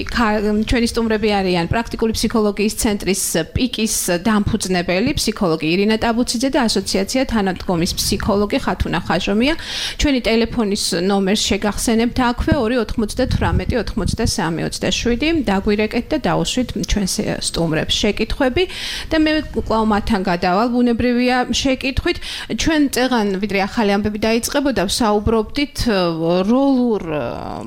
ჩვენი სტუმრები არიან პრაქტიკული ფსიქოლოგიის ცენტრის პიკის დამფუძნებელი ფსიქოლოგი ირინა ტაბუციძე და ასოციაცია თანადგომის ფსიქოლოგი ხათუნა ხაჟომია. ჩვენი ტელეფონის ნომერს შეგახსენებთ აქვე 298-93-27. დაგვირეკეთ და დაუსვით ჩვენს სტუმრებს შეკითხვები და მე კვლავ მათთან გადავალ. ბუნებრივია შეკითხვით. ჩვენ წეღან ვიდრე ახალი ამბები დაიწყებოდა, ვსაუბრობდით როლურ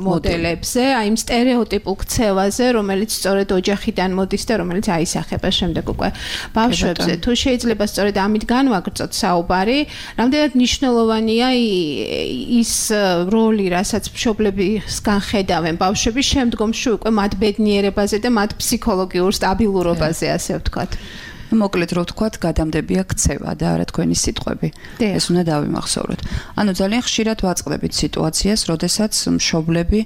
მოდელებზე, აი იმ სტერეოტიპულ ქცევაზე, რომელიც სწორედ ოჯახიდან მოდის და რომელიც აისახება შემდეგ უკვე ბავშვებზე. თუ შეიძლება სწორედ ამით განვაგრძოთ საუბარი, რამდენად მნიშვნელოვანია ის როლი, რასაც მშობლებისგან ხედავენ ბავშვები შემდგომში უკვე მათ ბედნიერებაზე და მათ ფსიქოლოგიურ სტაბილურობაზე, ასე ვთქვათ. მოკლედ რო ვთქვათ, გადამდებია ქცევა და არა თქვენი სიტყვები. ეს უნდა დავიმახსოვროთ. ანუ ძალიან ხშირად ვაწყდებით სიტუაციას, როდესაც მშობლები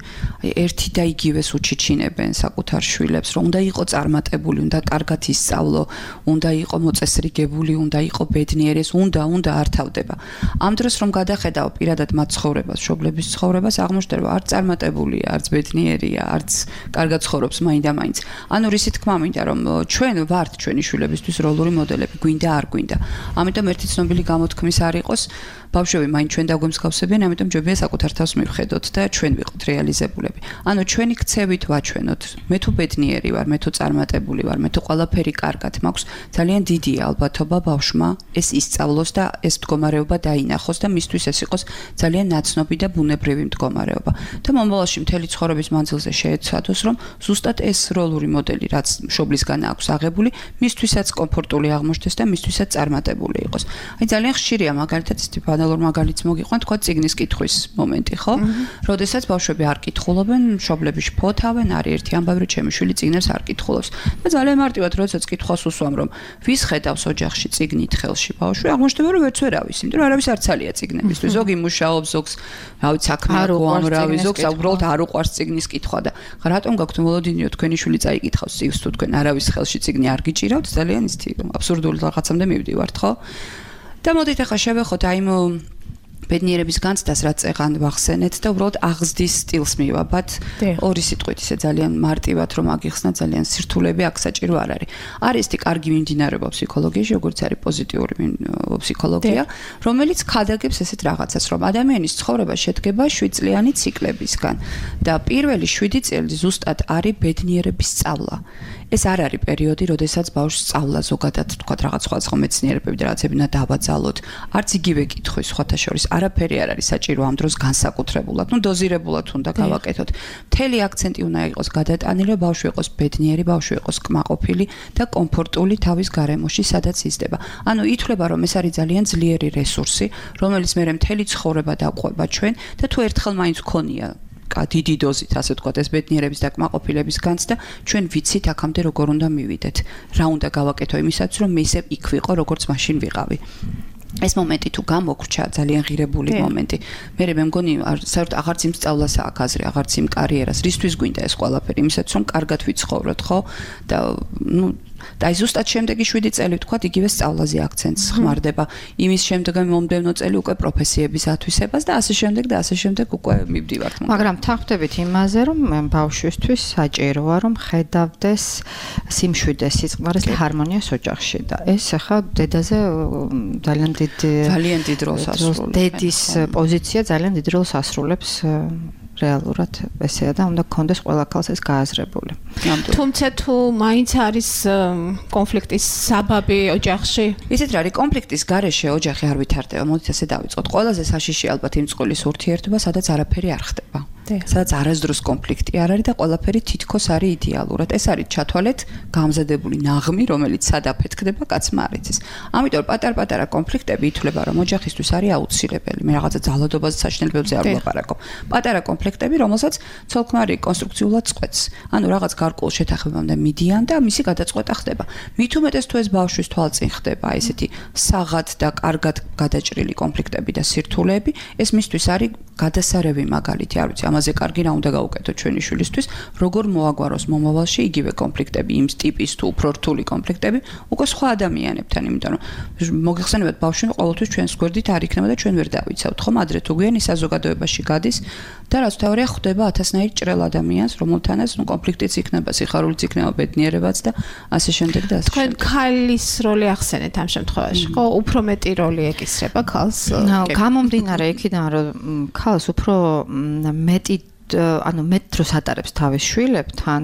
ერთი და იგივეს უჩიჩინებენ საკუთარ შვილებს, რომ უნდა იყო წარმატებული, უნდა კარგად ისწავლო, უნდა იყო მოწესრიგებული, უნდა იყო ბედნიერი, უნდა არ თავდება. ამ დროს რომ გადახედავ პირადად მათ ცხოვრებას, მშობლების ცხოვრებას, აღმოჩნდება არც წარმატებულია, არც ბედნიერია, არც კარგად ცხოვრობს მაინდა-მაინც. ანუ რისი თქმა მინდა, რომ ჩვენ ვართ ჩვენი შვილებისთვის როლური მოდელები, გვინდა არ გვინდა. ამიტომ ერთი ცნობილი გამოთქმის არ იყოს, ბავშვები მაინც ჩვენ დაგვემსგავსებიან, ამიტომ ჯობია საკუთარ თავს მივხედოთ და ჩვენ ვიყოთ რეალიზებულები. ანუ ჩვენი ქცევით ვაჩვენოთ. მე თუ ბედნიერი ვარ, მე თუ წარმატებული ვარ, მე თუ ყველაფერი კარგად მაქვს, ძალიან დიდია ალბათობა ბავშვმა ეს ისწავლოს და ეს მდგომარეობა დაინახოს და მისთვის ეს იყოს ძალიან ნაცნობი და ბუნებრივი მდგომარეობა. და მომავალში მთელი ცხოვრების მანძილზე შეეცადოს, რომ ზუსტად ეს როლური მოდელი, რაც მშობლისგან აქვს აღებული, მისთვისაც კომფორტული აღმოჩნდეს და მისთვისაც წარმატებული იყოს. აი ძალიან ხშირია მაგალითად ისეთი ბანალურ მაგალითს მოგიყვან, თქვა წიგნის კითხვის მომენტი, ხო? როდესაც ბავშვები არ კითხულობენ, მშობლები შფოთავენ, არის ერთი ამბავი, რომ ჩემი შვილი წიგნებს არ კითხულობს. და ძალიან მარტივად როდესაც კითხვას უსვამ, რომ ვის ხედავს ოჯახში წიგნით ხელში ბავშვი, აღმოჩნდება რომ ვერც ვერავის, იმიტომ რომ არავის არ ცალია წიგნებისთვის. ზოგი მუშაობს, ზოგს რავი საქმე აქვს, ამრავი ზოგს უბრალოდ არ უყვარს წიგნის კითხვა და რატომ გაქვთ მოლოდინიო თქვენი შვილი წაიკითხავს წიგნს თუ თქვენ არავის ხელში წიგნი არ გიჭირავთ, ძალიან ისეთი აბსურდული რაღაცამდე მივდივართ, ხო? და მოდით ახლა შევეხოთ აი ბედნიერების განცდას რაც წეღან ვახსენეთ და უბრალოდ აღზრდის სტილს მივაბათ ორი სიტყვით ისე ძალიან მარტივად რომ აგიხსნა ძალიან სირთულეები აქ საჭირო არ არის. არის ისეთი კარგი მიმდინარეობა ფსიქოლოგიაში, როგორც არის პოზიტიური ფსიქოლოგია, რომელიც ქადაგებს ესეთ რაღაცას, რომ ადამიანის ცხოვრება შედგება 7 წლიანი ციკლებისგან და პირველი 7 წელი ზუსტად არის ბედნიერების სწავლა. ეს არ არის პერიოდი, როდესაც ბავშვს სწავლა ზოგადად თქვა რაღაც სხვადასხვა მეცნიერებები და რაღაცები უნდა დავაძალოთ. არც იგივე კითხვის სხვათა შორის არაფერი არ არის საჭირო ამ დროს განსაკუთრებულად, დოზირებულად უნდა გავაკეთოთ. მთელი აქცენტი უნდა იყოს გადატანილი, რომ ბავშვი იყოს ბედნიერი, ბავშვი იყოს კმაყოფილი და კომფორტული თავის გარემოში, სადაც იზრდება. ანუ ითვლება, რომ ეს არის ძალიან ძლიერი რესურსი, რომელიც მერე მთელი ცხოვრება დაყვება ჩვენ და თუ ერთხელ მაინც გქონია დიდი დოზით, ასე ვთქვათ, ეს ბედნიერების და კმაყოფილების განცდა, ჩვენ ვიცით აქამდე როგორ უნდა მივიდეთ. რა უნდა გავაკეთო იმისაც, რომ მე ისევ იქ ვიყო, როგორც მაშინ ვიყავი. ეს მომენტი თუ გამოგრჩა, ძალიან ღირებული მომენტი. მე მგონი საერთოდ აღარც იმ სწავლას აქვს აზრი, აღარც იმ კარიერას, რისთვის გვინდა ეს ყველაფერი, იმისაც რომ კარგად ვიცხოვროთ, ხო? და და აი ზუსტად შემდეგი 7 წელი ვთქვათ, იგივე სწავლაზე აქცენტს ხმარდება. იმის შემდეგი მომდევნო წელი უკვე პროფესიების ათვისებას და ასე შემდეგ უკვე მივდივართ. მაგრამ თანხმდებით იმაზე, რომ ბავშვისთვის საჭიროა, რომ ხედავდეს სიმშვიდეს, სიწყმარეს და ჰარმონიას ოჯახში და ეს ახლა დედაზე ძალიან დიდ როლს ასრულებს. დედის პოზიცია ძალიან დიდ როლს ასრულებს. რეალურად ესეა და უნდა გქონდეს ყველა ქალს ეს გააზრებული. თუმცა თუ მაინც არის კონფლიქტის საბაბი ოჯახში, ისეთ რა არის კონფლიქტის გარეშე ოჯახი არ ვითარდება. მოდით ასე დავიწყოთ. ყველაზე საშიში ალბათ იმ წყვილის ურთიერთობა, სადაც არაფერი არ ხდება. სადაც არასდროს კონფლიქტი არ არის და ყველაფერი თითქოს არის იდეალურად. ეს არის ჩათვალეთ გამზადებული ნაღმი, რომელიც სად აფეთქდება, კაცმა არ იცის. ამიტომ პატარ-პატარა კონფლიქტები ითვლება, რომ ოჯახისთვის არის აუცილებელი. მე რაღაცა ძალადობაზე საშინელებებზე არ ვლაპარაკობ. პატარა კონფლიქტები, რომელსაც ცოლ-ქმარი კონსტრუქციულად წყვეტს. ანუ რაღაც გარკვეულ შეთანხმებამდე მიდიან და მისი გადაწყვეტა ხდება. მით უმეტეს თუ ეს ბავშვის თვალწინ ხდება, ესეთი საღად და კარგად გადაჭრილი კონფლიქტები და სირთულეები, ეს მისთვის არის გადასარევი მაგალითი, არ ვიცი, ამაზე კარგი რა უნდა გავუკეთოთ ჩვენი შვილისთვის, როგორ მოაგვაროს მომავალში იგივე კონფლიქტები, იმ ტიპის თუ უფრო რთული კონფლიქტები, უკვე სხვა ადამიანებთან, იმიტომ რომ მოგიხსენებათ ბავშვი ყოველთვის ჩვენს გვერდით არ იქნება და ჩვენ ვერ დავიცავთ, ხომ ადრე თუ გვიანი საზოგადოებაში გადის და რაც თავია ხვდება ათასნაირ ჭრელ ადამიანს, რომელთანაც კონფლიქტიც იქნება, სიხარულიც იქნება, ბედნიერებაც და ასე შემდეგ და ასე. თქვენ ქალის როლი ახსენეთ ამ შემთხვევაში, ხო? უფრო მეტი როლი ეკისრება ქალს. გამომდინარე იქიდან, რომ ქალს უფრო მეტი ანუ მეტ დროს ატარებს თავის შვილებთან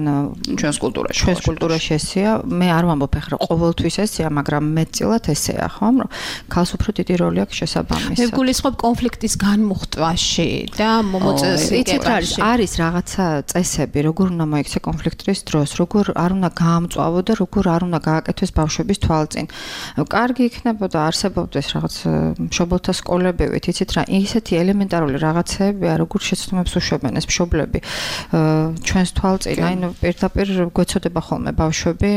ჩვენს კულტურაში. ჩვენს კულტურაში ესეა, მე არ ვამბობ ახლა ყოველთვის ესეა, მაგრამ მეტწილად ესეა, ხო? რომ ქალს უფრო დიდი როლი აქვს შესაბამისად. მე გულისხმობ კონფლიქტის განმუხტვაში და მოწესრიგებაში. არის რაღაცა წესები, როგორ უნდა მოიქცე კონფლიქტის დროს, როგორ არ უნდა გაამწვავო და როგორ არ უნდა გააკეთოს ბავშვების თვალწინ. კარგი იქნებოდა არსებობდეს რაღაც მშობელთა სკოლებივით, იცით რა, ისეთი ელემენტარული რაღაცებია, როგორ შეცდომებს უშვებენ ეს მშობლები ჩვენს თვალწინ, აი პირდაპირ გვეცოდება ხოლმე ბავშვები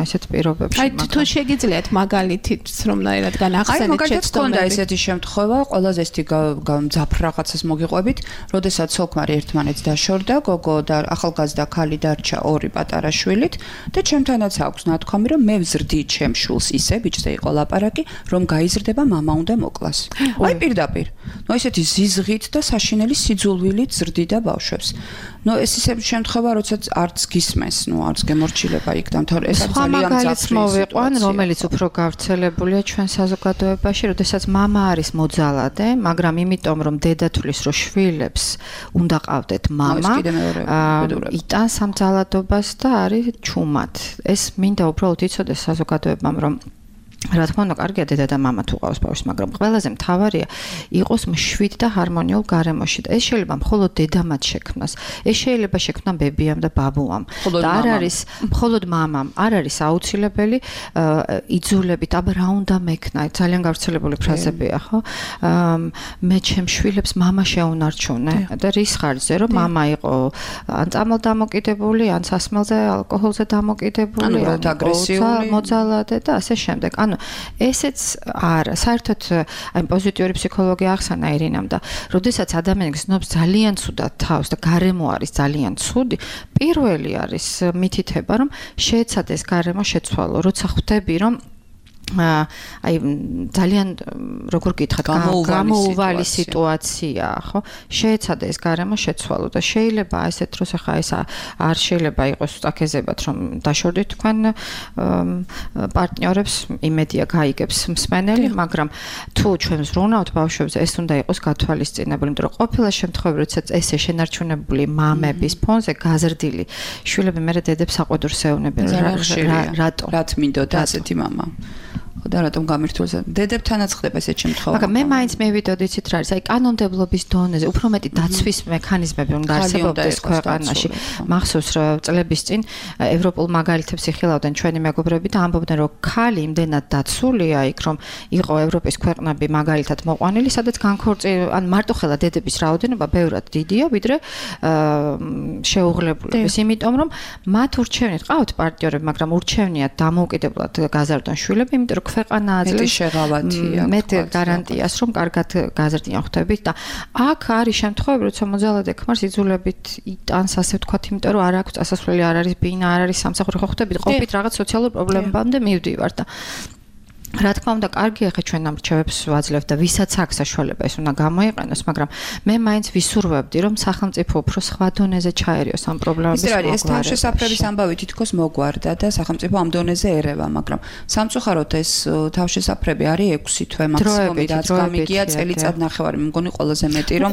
ესეთ პირობებში. აი თუ შეგიძლიათ მაგალითით რომნაირად განახსენეთ შეცდომები. აი ესეთი შემთხვევა, ყველაზე ესეთი გამძაფრ რაღაცას მოგიყვებით, როდესაც ცოლ-ქმარი ერთმანეთს დაშორდა, გოგო და ახალგაზრდა ქალი დარჩა ორი პატარა შვილით და ჩემთანაც აქვს ნათქვამი, რომ მე ვზრდი ჩემ შვილს ისე, ბიჭზე იყო ლაპარაკი, რომ გაიზრდება მამა უნდა მოკლას. აი პირდაპირ. ნუ ესეთი ზიზღით და საშინელი სიძულვილით ზრდი და ბავშვებს. ნუ ეს ისე შემთხვევა, როდესაც არც გისმენს, ნუ არც გემორჩილება იქ და თორე ეს ძალიან ძაფრი მოვიყვან, რომელიც უფრო გავრცელებულია ჩვენ საზოგადოებაში, როდესაც მამა არის მოძალადე, მაგრამ იმიტომ რომ დედა თulis რომ შვილებს უნდა ყავდეთ მამა, იტანს ამ ძალადობას და არის ჩუმად. ეს მინდა უბრალოდ იცოდეს საზოგადოებამ, რომ რა თქმა უნდა, კარგია დედა და მამა თუ ყავს ბავშვს, მაგრამ ყველაზე მთავარია იყოს მშვიდ და ჰარმონიულ გარემოში. და ეს შეიძლება მხოლოდ დედამაც შექმნას. ეს შეიძლება შექმნა ბებიამ და ბაბუამ. და არ არის მხოლოდ მამამ, არ არის აუცილებელი იძულებით, აბა რა უნდა მექნა, ძალიან გავრცელებული ფრაზებია, ხო? მე ჩემ შვილებს მამა შეუნარჩუნე და რის ხარჯზე, რომ მამა იყო ან წამალდამოკიდებული, ან სასმელზე, ალკოჰოლზე დამოკიდებული, ან აგრესიული, მოძალადე და ასე შემდეგ. ანუ ესეც არა, საერთოდ აი პოზიტიური ფსიქოლოგია ახსნა ირინამ და როდესაც ადამიანი გრძნობს ძალიან ცუდად თავს და გარემო არის ძალიან ცუდი, პირველი არის მითითება, რომ შეეცადეს გარემო შეცვალო, როცა ხვდები, რომ აი ძალიან როგორ გითხრათ გამოუვალი სიტუაცია ხო შეეცადა ეს გარემო შეცვალო და შეიძლება ესეთ დროს ახლა ეს არ შეიძლება იყოს აკეზებად რომ დაშორდით თქვენ პარტნიორებს იმედია გაიგებს მსმენელი მაგრამ თუ ჩვენ ვზრუნავთ ბავშვებზე ეს უნდა იყოს გათვალისწინებული იმიტომ რომ ყოფილი შემთხვევები როდესაც ესე შენარჩუნებული მამების ფონზე გაზრდილი შვილები მე დედებს საყვედურს ეუნებიან რატო რა თმინდოდა ასეთი მამა და რატომ გამირთულს დედებთანაც ხდება ესეთ შემთხვევაში მაგრამ მე მაინც მევიდოდი იცით რა არის აი კანონმდებლობის დონეზე უფრო მეტი დაცვის მექანიზმები უნდა არსებობდეს ქვეყანაში მახსოვს რომ წლების წინ ევროპულ მაგალითებს იხილავდნენ ჩვენი მეგობრები და ამბობდნენ რომ ქალი იმდენად დაცულია იქ რომ იყო ევროპის ქვეყნები მაგალითად მოყვანილი სადაც ან მარტოხელა დედების რაოდენობა ბევრად დიდია ვიდრე შეუღლებულების იმიტომ რომ მათ ურჩევნით ყავთ პარტნიორები მაგრამ ურჩევნიათ დამოუკიდებლად გაზარდონ შვილები იმიტომ რომ ქვეყანა აძლევს შეღავათია მეტ გარანტიას რომ კარგად გაზრდიან ხვდებით და აქ არის შემთხვევები როცა მოძალადე ქმარს იძულებით იტანს ასე ვთქვათ იმიტომ რომ არ აქვს წასასვლელი არ არის ბინა არ არის სამსახური ხო ხვდებით ყოფით რაღაც სოციალურ პრობლემებამდე მივდივარ და რა თქმა უნდა კარგია ხა ჩვენ ამ რჩევებს ვაძლევთ და ვისაც აქვს საშუალება ეს უნდა გამოიყენოს მაგრამ მე მაინც ვისურვებდი რომ სახელმწიფო უფრო სხვა დონეზე ჩაერიოს ამ პრობლემების მოგვარებას ეს თავშესაფრების ამბავი თითქოს მოგვარდა და სახელმწიფო ამ დონეზე ერევა მაგრამ სამწუხაროდ ეს თავშესაფრები არის 6 თვე მაქსიმუმი რაც გამიგია წელიწად ნახევარი მე მგონი ყველაზე მეტი რომ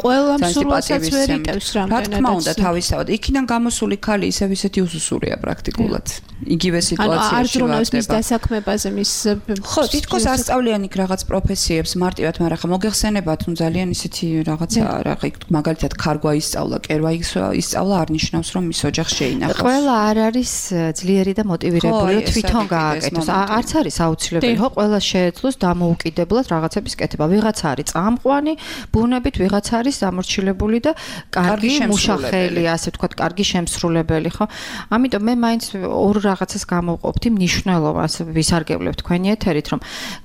რა თქმა უნდა თავისთავად იქიდან გამოსული ქალი ისევ ისეთი უსუსურია პრაქტიკულად იგივე სიტუაციაში არ ძრუნავს მის დასაქმებაზე მის ხო თითქოს ასწავლიან იქ რაღაც პროფესიებს მარტივად, მაგრამ ხა მოგეხსენებათ, ნუ ძალიან ისეთი რაღაცა რა მაგალითად ქარგვა ისწავლა, კერვა ისწავლა არ ნიშნავს რომ მის ოჯახს შეინახავს. ყველა არ არის ძლიერი და მოტივირებული თვითონ გააკეთოს. არც არის აუცილებელი, ხო, ყველა შეეძლოს დამოუკიდებლად რაღაცების კეთება. ვიღაცა არის წამყვანი, ბუნებით ვიღაცა არის დამორჩილებული და კარგი მუშახელი, ასე ვთქვათ, კარგი შემსრულებელი, ხო? ამიტომ მე მაინც ორ რაღაცას გამოვყოფთ იმ მნიშვნელობას ვისარგებლებ თქვენი ეთერით რომ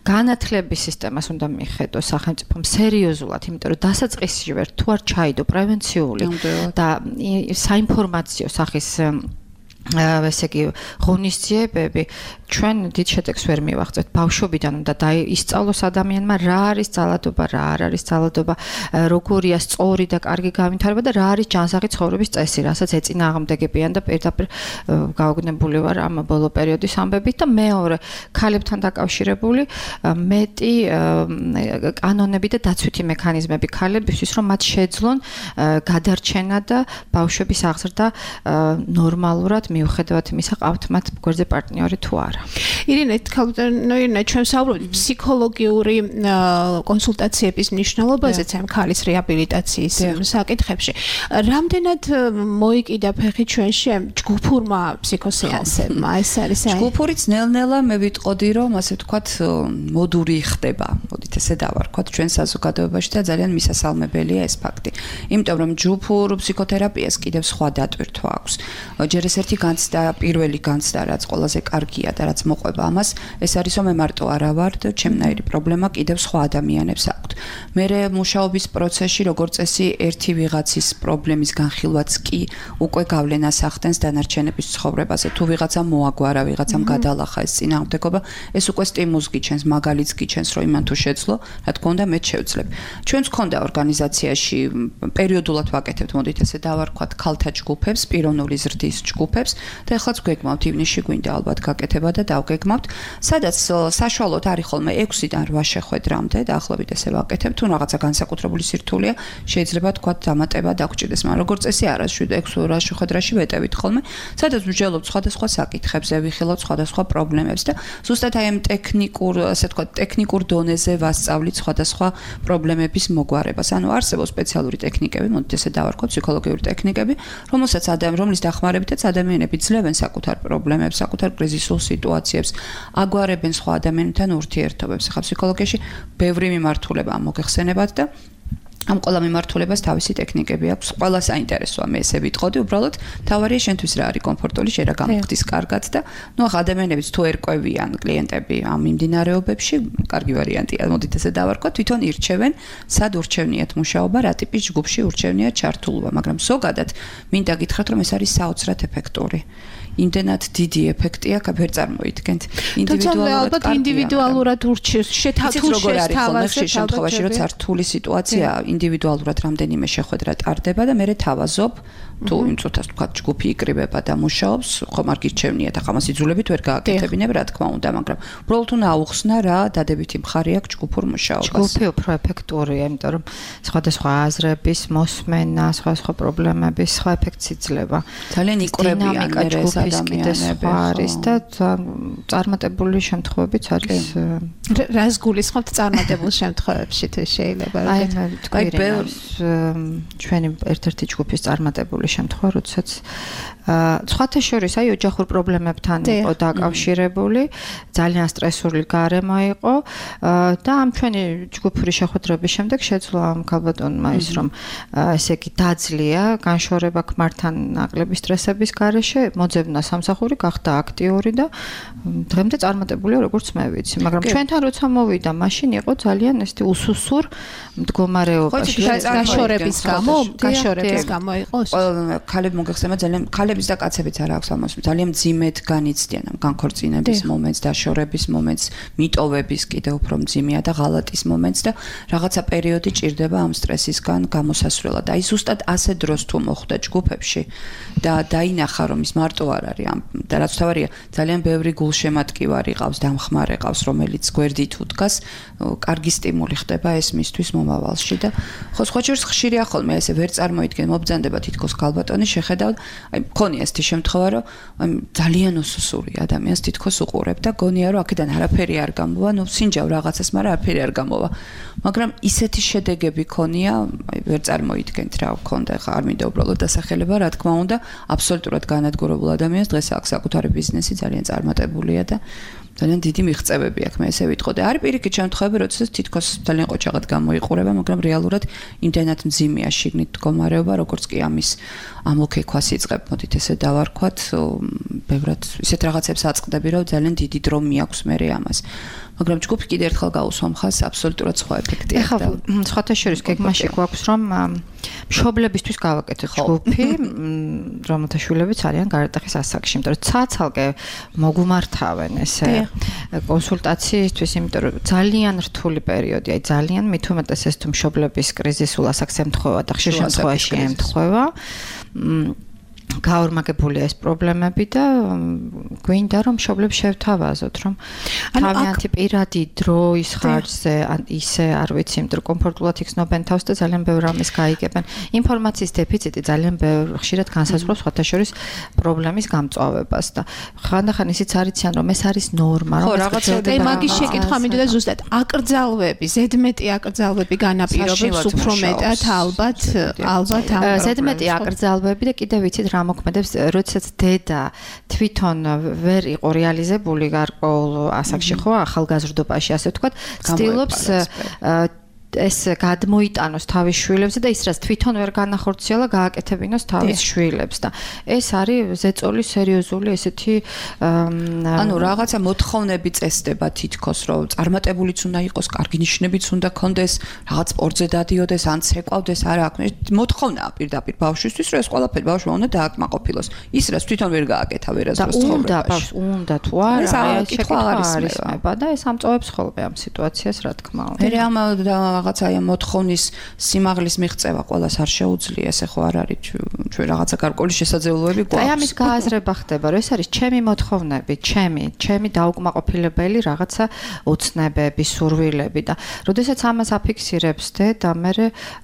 განათლების სისტემას უნდა მიხედოს სახელმწიფომ სერიოზულად, იმიტომ რომ დასაწყისში ვერ თუ არ ჩაიდო პრევენციული და საინფორმაციო სახის ესე იგი ღონისძიებები ჩვენ დიდ შედეგს ვერ მივაღწევთ ბავშვობიდან უნდა ისწავლოს ადამიანმა რა არის ძალადობა, რა არ არის ძალადობა, როგორია სწორი და კარგი განვითარება და რა არის ჯანსაღი ცხოვრების წესი, რასაც ეწინააღმდეგებიან და პირდაპირ გაოგნებული ვარ ამ ბოლო პერიოდის ამბებით და მეორე ქალებთან დაკავშირებული მეტი კანონები და დაცვითი მექანიზმები ქალებისთვის რომ მათ შეძლონ გადარჩენა და ბავშვების აღზრდა ნორმალურად მიუხედავად იმისა ყავთ მათ გვერდზე პარტნიორი თუ არა. ირინე, ირინე, ჩვენ საუბრობთ ფსიქოლოგიური კონსულტაციების მნიშვნელობაზეც ამ ქალის რეაბილიტაციის საკითხებში. რამდენად მოიკიდა ფეხი ჩვენში ამ ჯგუფურმა ფსიქოსეანსებმა? ეს არის ჯგუფურიც ნელ-ნელა მე ვიტყოდი რომ ასე ვთქვათ მოდური ხდება. მოდით ესე დავარქვათ ჩვენ საზოგადოებაში და ძალიან მისასალმებელია ეს ფაქტი. იმიტომ რომ ჯგუფურ ფსიქოთერაპიას კიდევ სხვა დატვირთვა აქვს. ჯერ ეს ერთი განცდა, პირველი განცდა, რაც ყველაზე კარგია და რაც მოყვება ამას, ეს არის რომ მე მარტო არა ვარ და ჩემნაირი პრობლემა კიდევ სხვა ადამიანებს აქვთ. მე მუშაობის პროცესში როგორც წესი ერთი ვიღაცის პრობლემის განხილვაც კი უკვე გავლენას ახდენს დანარჩენების ცხოვრებაზე. თუ ვიღაცამ მოაგვარა, ვიღაცამ გადალახა ეს წინააღმდეგობა, ეს უკვე სტიმულს გიჩენს, მაგალითს გიჩენს, რომ იმან თუ შეძლო, რა თქმა უნდა მე შევძლებ. ჩვენც გქონდა ორგანიზაციაში პერიოდულად ვაკეთებთ, მოდით ესე დავარქვათ, ქალთა ჯგუფებს, პიროვნული ზრდის ჯგუფებს და ეხლაც გვეგმავთ ივნისში გვინდა ალბათ გაკეთება და დავგეგმავთ, სადაც საშუალოდ არის ხოლმე 6-დან 8 შეხვედრამდე, დაახლოებით ესე ვაკეთებ, თუ რაღაცა განსაკუთრებული სირთულეა, შეიძლება თქვა დამატება დაგჭირდეს, მაგრამ როგორც წესი არა 7-6 ორას შეხვედრაში ვეტევით ხოლმე, სადაც ვჯელობთ სხვადასხვა საკითხებზე, ვიხილავთ სხვადასხვა პრობლემებს და ზუსტად აი ამ ტექნიკურ, ასე თქვა, ტექნიკურ დონეზე ვასწავლით სხვადასხვა პრობლემების მოგვარებას. ანუ არსებობს სპეციალური ტექნიკები, მოდით ესე დავარქვათ, ფსიქოლოგიური ტექნიკები, რომლის დახმარებითაც ადამიანები ძლევენ საკუთარ პრობლემებს, საკუთარ კრიზისულ სიტუაციებს, აგვარებენ სხვა ადამიანებთან ურთიერთობებს. ახლა ფსიქოლოგიაში ბევრი მიმართულება მოგეხსენებათ და ამ ყველა მიმართულებას თავისი ტექნიკები აქვს. ყველა საინტერესოა, მე ესე ვიტყოდი, უბრალოდ თავარია შენთვის რა არის კომფორტული, შენ რა გამოგდის კარგად და ნუ ახლა ადამიანებიც თუ ერკვევიან კლიენტები ამ მიმდინარეობებში, კარგი ვარიანტია, მოდით ესე დავარქვათ, თვითონ ირჩევენ, სად ურჩევნიათ მუშაობა, რა ტიპის ჯგუფში ურჩევნიათ ჩართულობა, მაგრამ ზოგადად მინდა გითხრათ, რომ ეს არის საოცრად ეფექტური. იმდენად დიდი ეფექტია, ვერ წარმოიდგენთ. ინდივიდუალურად ურჩევს, შეთავაზებთ ხშირ შემთხვევაში, როცა რთული სიტუაცია, ინდივიდუალურად რამდენიმე შეხვედრა ტარდება და მე თავაზობ, თუ იმ წუთას თქვა ჯგუფი იკრიბება და მუშაობს, ხომ არ გირჩევნიათ, ახლა მას იძულებით ვერ გააკეთებინებ, რა თქმა უნდა, მაგრამ უბრალოდ უნდა აუხსნა რა დადებითი მხარე აქვს ჯგუფურ მუშაობას. ჯგუფი უფრო ეფექტურია, იმიტომ რომ სხვადასხვა აზრების მოსმენა, სხვადასხვა პრობლემების სხვა ეფექტს იძლევა. ძალიან იკვრებიან ადამიანები არის და წარმატებული შემთხვევებიც არის. რას გულისხმობთ წარმატებულ შემთხვევებში თუ შეიძლება? აი მე თქვი ჩვენი ერთ-ერთი ჯგუფის წარმატებული შემთხვევა, როდესაც სხვათა შორის აი ოჯახურ პრობლემებთან იყო დაკავშირებული, ძალიან სტრესული გარემო იყო და ამ ჩვენი ჯგუფური შეხვედრების შემდეგ შეძლო ამ ქალბატონმა ის რომ ესე იგი დაძლია განშორება ქმართან ნაკლები სტრესების გარეშე, მოძებნა სამსახური, გახდა აქტიური და დღემდე წარმატებულია როგორც მე ვიცი, მაგრამ ჩვენთან როცა მოვიდა, მაშინ იყო ძალიან ესეთი უსუსურ მდგომარეობაში. გაშორების გამო იყო. ქალები მოგეხსენა ძალიან ქალების და კაცებიც არ აქვს ამას ძალიან მძიმედ განიცდიან ამ განქორწინების მომენტს, დაშორების მომენტს, მიტოვების კიდე უფრო მძიმეა და ღალატის მომენტს და რაღაცა პერიოდი ჭირდება ამ სტრესისგან გამოსასვლელად. აი ზუსტად ასე დროს თუ მოხვდა ჯგუფებში და დაინახა რომ ის მარტო არ არის ამ და რაც თავარია ძალიან ბევრი გულშემატკივარი ყავს, დამხმარე ყავს, რომელიც გვერდით უდგას, კარგი სტიმული ხდება ეს მისთვის მომავალში და ხო სხვა შორის ხშირია ხოლმე ესე ვერ წარმოიდგენ მობძანდება თითქოს ქალბატონი შეხედავთ აი მქონია ესეთი შემთხვევა რომ ძალიან უსუსური ადამიანს თითქოს უყურებ და გონია რომ აქედან არაფერი არ გამოვა, ნუ სინჯავ რაღაცას, მაგრამ არაფერი არ გამოვა. მაგრამ ისეთი შედეგები ქონია, აი ვერ წარმოიდგენთ რა გქონდა, ხა არ მინდა უბრალოდ დასახელება, რა თქმა უნდა, აბსოლუტურად განადგურებულ ადამიანს დღეს აქვს საკუთარი ბიზნესი, ძალიან წარმატებულია და ძალიან დიდი მიღწევები აქვს, მე ესე ვიტყოდი. არის პირიქით შემთხვევები, როდესაც თითქოს ძალიან ყოჩაღად გამოიყურება, მაგრამ რეალურად იმდენად მძიმეა შიგნით მდგომარეობა, როგორც კი ამის ამოქექვას იწყებ, მოდით ესე დავარქვათ, ბევრად ისეთ რაღაცებს აწყდები, რომ ძალიან დიდი დრო მიაქვს მე ამას. მაგრამ ჯგუფი კიდე ერთხელ გაუსვა მხარს, აბსოლუტურად სხვა ეფექტია. ეხლა სხვათა შორის გეგმაში გვაქვს რომ მშობლებისთვის გავაკეთოთ ჯგუფი, რომელთა შვილებიც არიან გარდატეხის ასაკში, იმიტომ რომ ცალ-ცალკე მოგუმართავენ ესე კონსულტაციისთვის, იმიტომ რომ ძალიან რთული პერიოდი, აი ძალიან მით უმეტეს ეს თუ მშობლების კრიზისულ ასაკს ემთხვევა და ხშირ შემთხვევაში ემთხვევა. გაორმაგებულია ეს პრობლემები და გვინდა რომ მშობლებს შევთავაზოთ რომ თავიანთი პირადი დროის ხარჯზე ან ისე არ ვიცი, იმიტომ რომ კომფორტულად იქცნობენ თავს და ძალიან ბევრ რამეს გაიგებენ. ინფორმაციის დეფიციტი ძალიან ხშირად განსაზღვრავს სხვათა შორის პრობლემის გამწვავებას და ხანდახან ისიც არიციან რომ ეს არის ნორმა, რომ რაღაცა მაგის შეკითხვა მინდოდა ზუსტად აკრძალვები, ზედმეტი აკრძალვები განაპირობებს უფრო მეტად ალბათ ამ ზედმეტი აკრძალვები და კიდევ ვიცით რა მოქმედებს, როდესაც დედა თვითონ ვერ იყო რეალიზებული გარკვეულ ასაკში, ხო, ახალგაზრდობაში, ასე ვთქვათ, ცდილობს ეს გადმოიტანოს თავის შვილებზე და ის რაც თვითონ ვერ განახორციელა, გააკეთებინოს თავის შვილებს და ეს არის ზეწოლის სერიოზული ესეთი ანუ რაღაცა მოთხოვნები წესდება თითქოს, რომ წარმატებულიც უნდა იყოს, კარგი ნიშნებიც უნდა ქონდეს, რაღაც სპორტზე დადიოდეს, ან ცეკვავდეს, არა აქვს. მოთხოვნაა პირდაპირ ბავშვისთვის, რომ ეს ყველაფერი ბავშვმა უნდა დააკმაყოფილოს. ის რაც თვითონ ვერ გააკეთა ვერასდროს ცხოვრებაში. უნდა თუ არა, ეს კითხვა არის მეება და ეს ამწოვებს ხოლმე ამ სიტუაციას, რა თქმა უნდა. მე ამ რაღაც აი ამ მოთხოვნის სიმაღლის მიღწევა ყველას არ შეუძლია, ესე ხო არ არის ჩვენ რაღაცა გარკვეული შესაძლებლობები გვაქვს. აი ამის გააზრება ხდება, რომ ეს არის ჩემი მოთხოვნები, ჩემი დაუკმაყოფილებელი რაღაცა ოცნებები, სურვილები და როდესაც ამას აფიქსირებს და მე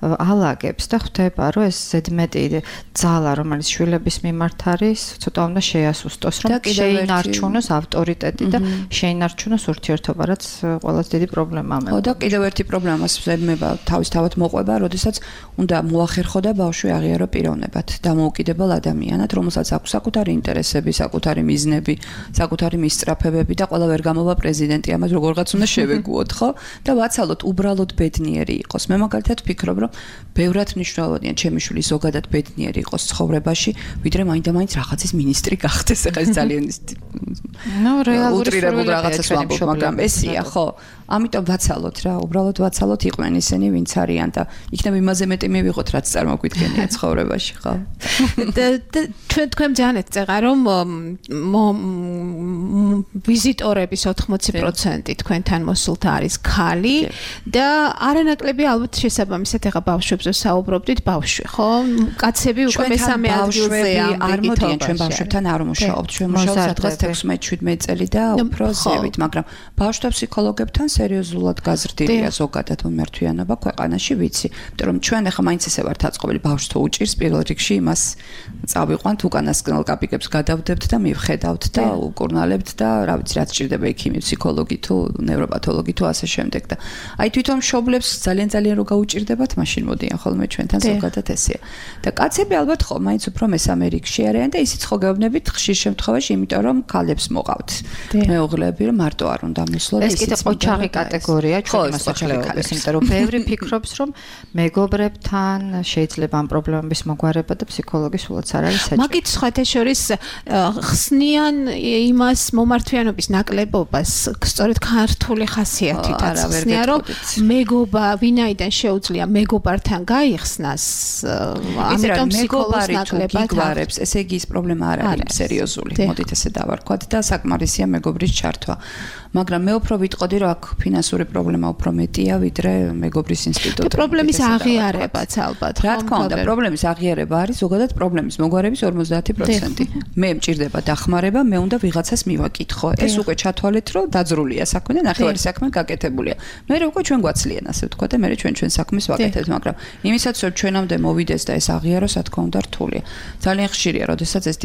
ალაგებს და ხვდება, რომ ეს ზედმეტი ძალა, რომელიც შვილების მიმართ არის, ცოტა უნდა შეასუსტოს, რომ შეინარჩუნოს ავტორიტეტი და შეინარჩუნოს ურთიერთობა, რაც ყველაზე დიდი პრობლემაა. ხო და კიდევ ერთი პრობლემას ზედმება თავისთავად მოყვება, როდესაც უნდა მოახერხო და ბავშვი აღიარო პიროვნებად, დამოუკიდებელ ადამიანად, რომელსაც აქვს საკუთარი ინტერესები, საკუთარი მიზნები, საკუთარი მისწრაფებები და ყველა ვერ გამოვა პრეზიდენტი, ამას როგორღაც უნდა შევეგუოთ, ხო? და ვაცალოთ უბრალოდ ბედნიერი იყოს. მე მაგალითად ვფიქრობ, რომ ბევრად მნიშვნელოვანია ჩემი შვილი ზოგადად ბედნიერი იყოს ცხოვრებაში, ვიდრე მაინდა-მაინც რაღაცის მინისტრი გახდეს, ეხლა ეს ძალიან უტრირებულ რაღაცას ვამბობ, მაგრამ ესია, ხო? ამიტომ ვაცალოთ რა, უბრალოდ ვაცალოთ იყვნენ ისინი, ვინც არიან და იქნებ იმაზე მეტი მივიღოთ, რაც წარმოგვიდგენია ცხოვრებაში, ხო? თქვენ ძალიან ეწეღა, რომ ვიზიტორების 80% თქვენთან მოსულთა არის ქალი და არანაკლები ალბათ შესაბამისად ეხა ბავშვებზე საუბრობდით, ბავშვი, ხო? კაცები უკვე მესამე ადგილზეა, არ მოდიან ჩვენ ბავშვებთან არ ვმუშაობთ, ჩვენ მუშაობთ სადღაც 16-17 წელი და უფრო ზევით, მაგრამ ბავშვთა ფსიქოლოგებთან სერიოზულად გაზრდილია ზოგადად მიმართვიანობა ქვეყანაში, ვიცი, იმიტომ რომ ჩვენ ახლა მაინც ესე ვართ აწყობილი, ბავშვს თუ უჭირს პირველ რიგში იმას წავიყვანთ, უკანასკნელ კაპიკებს გადავდებთ და მივხედავთ და უკურნალებთ და რა ვიცი, რაც ჭირდება იქიმი, ფსიქოლოგი თუ ნევროპათოლოგი თუ ასე შემდეგ და აი თვითონ მშობლებს ძალიან რო გაუჭირდებათ, მაშინ მოდიან ხოლმე ჩვენთან ზოგადად ესეა. და კაცები ალბათ ხო მაინც უფრო მესამე რიგში არიან და ისიც ხო გეუბნებით ხშირ შემთხვევაში, იმიტომ რომ ქალებს მოყავთ მეუღლეები, რომ მარტო არ უნდა მოსვლოთ. ეს კიდე ყოჩაღი კატეგორია ჩვენი მოსახლეობის, იმიტომ რომ ბევრი ფიქრობს, რომ მეგობრებთან შეიძლება ამ პრობლემების მოგვარება და ფსიქოლოგი სულაც არ არის საჭირო. მაგით სხვათა შორის ხსნიან იმას მომართვიანობის ნაკლებობას, სწორედ ქართული ხასიათითაც ხსნიან, რომ მეგობა ვინაიდან შეუძლია მეგობართან გაიხსნას, ამიტომ ფსიქოლოგის ნაკლებად გიგვარებს, ესე იგი ის პრობლემა არ არის სერიოზული, მოდით ესე დავარქვათ და საკმარისია მეგობრის ჩართვა. მაგრამ მე უფრო ვიტყოდი, რომ აქ ფინანსური პრობლემა უფრო მეტია, ვიდრე მეგობრის ინსტიტუტი. და პრობლემის აღიარებაც ალბათ. რა თქმა უნდა, პრობლემის აღიარება არის ზოგადად პრობლემის მოგვარების 50%. მე მჭირდება დახმარება, მე უნდა ვიღაცას მივაკითხო. ეს უკვე ჩათვალეთ, რომ დაძრულია საქმე და ნახევარი საქმე გაკეთებულია. მე უკვე ჩვენ გვაცლიან, ასე ვთქვა და მე ჩვენ საქმეს ვაკეთებთ, მაგრამ იმისაც რომ ჩვენამდე მოვიდეს და ეს აღიაროს, რა თქმა უნდა, რთულია. ძალიან ხშირია, როდესაც ეს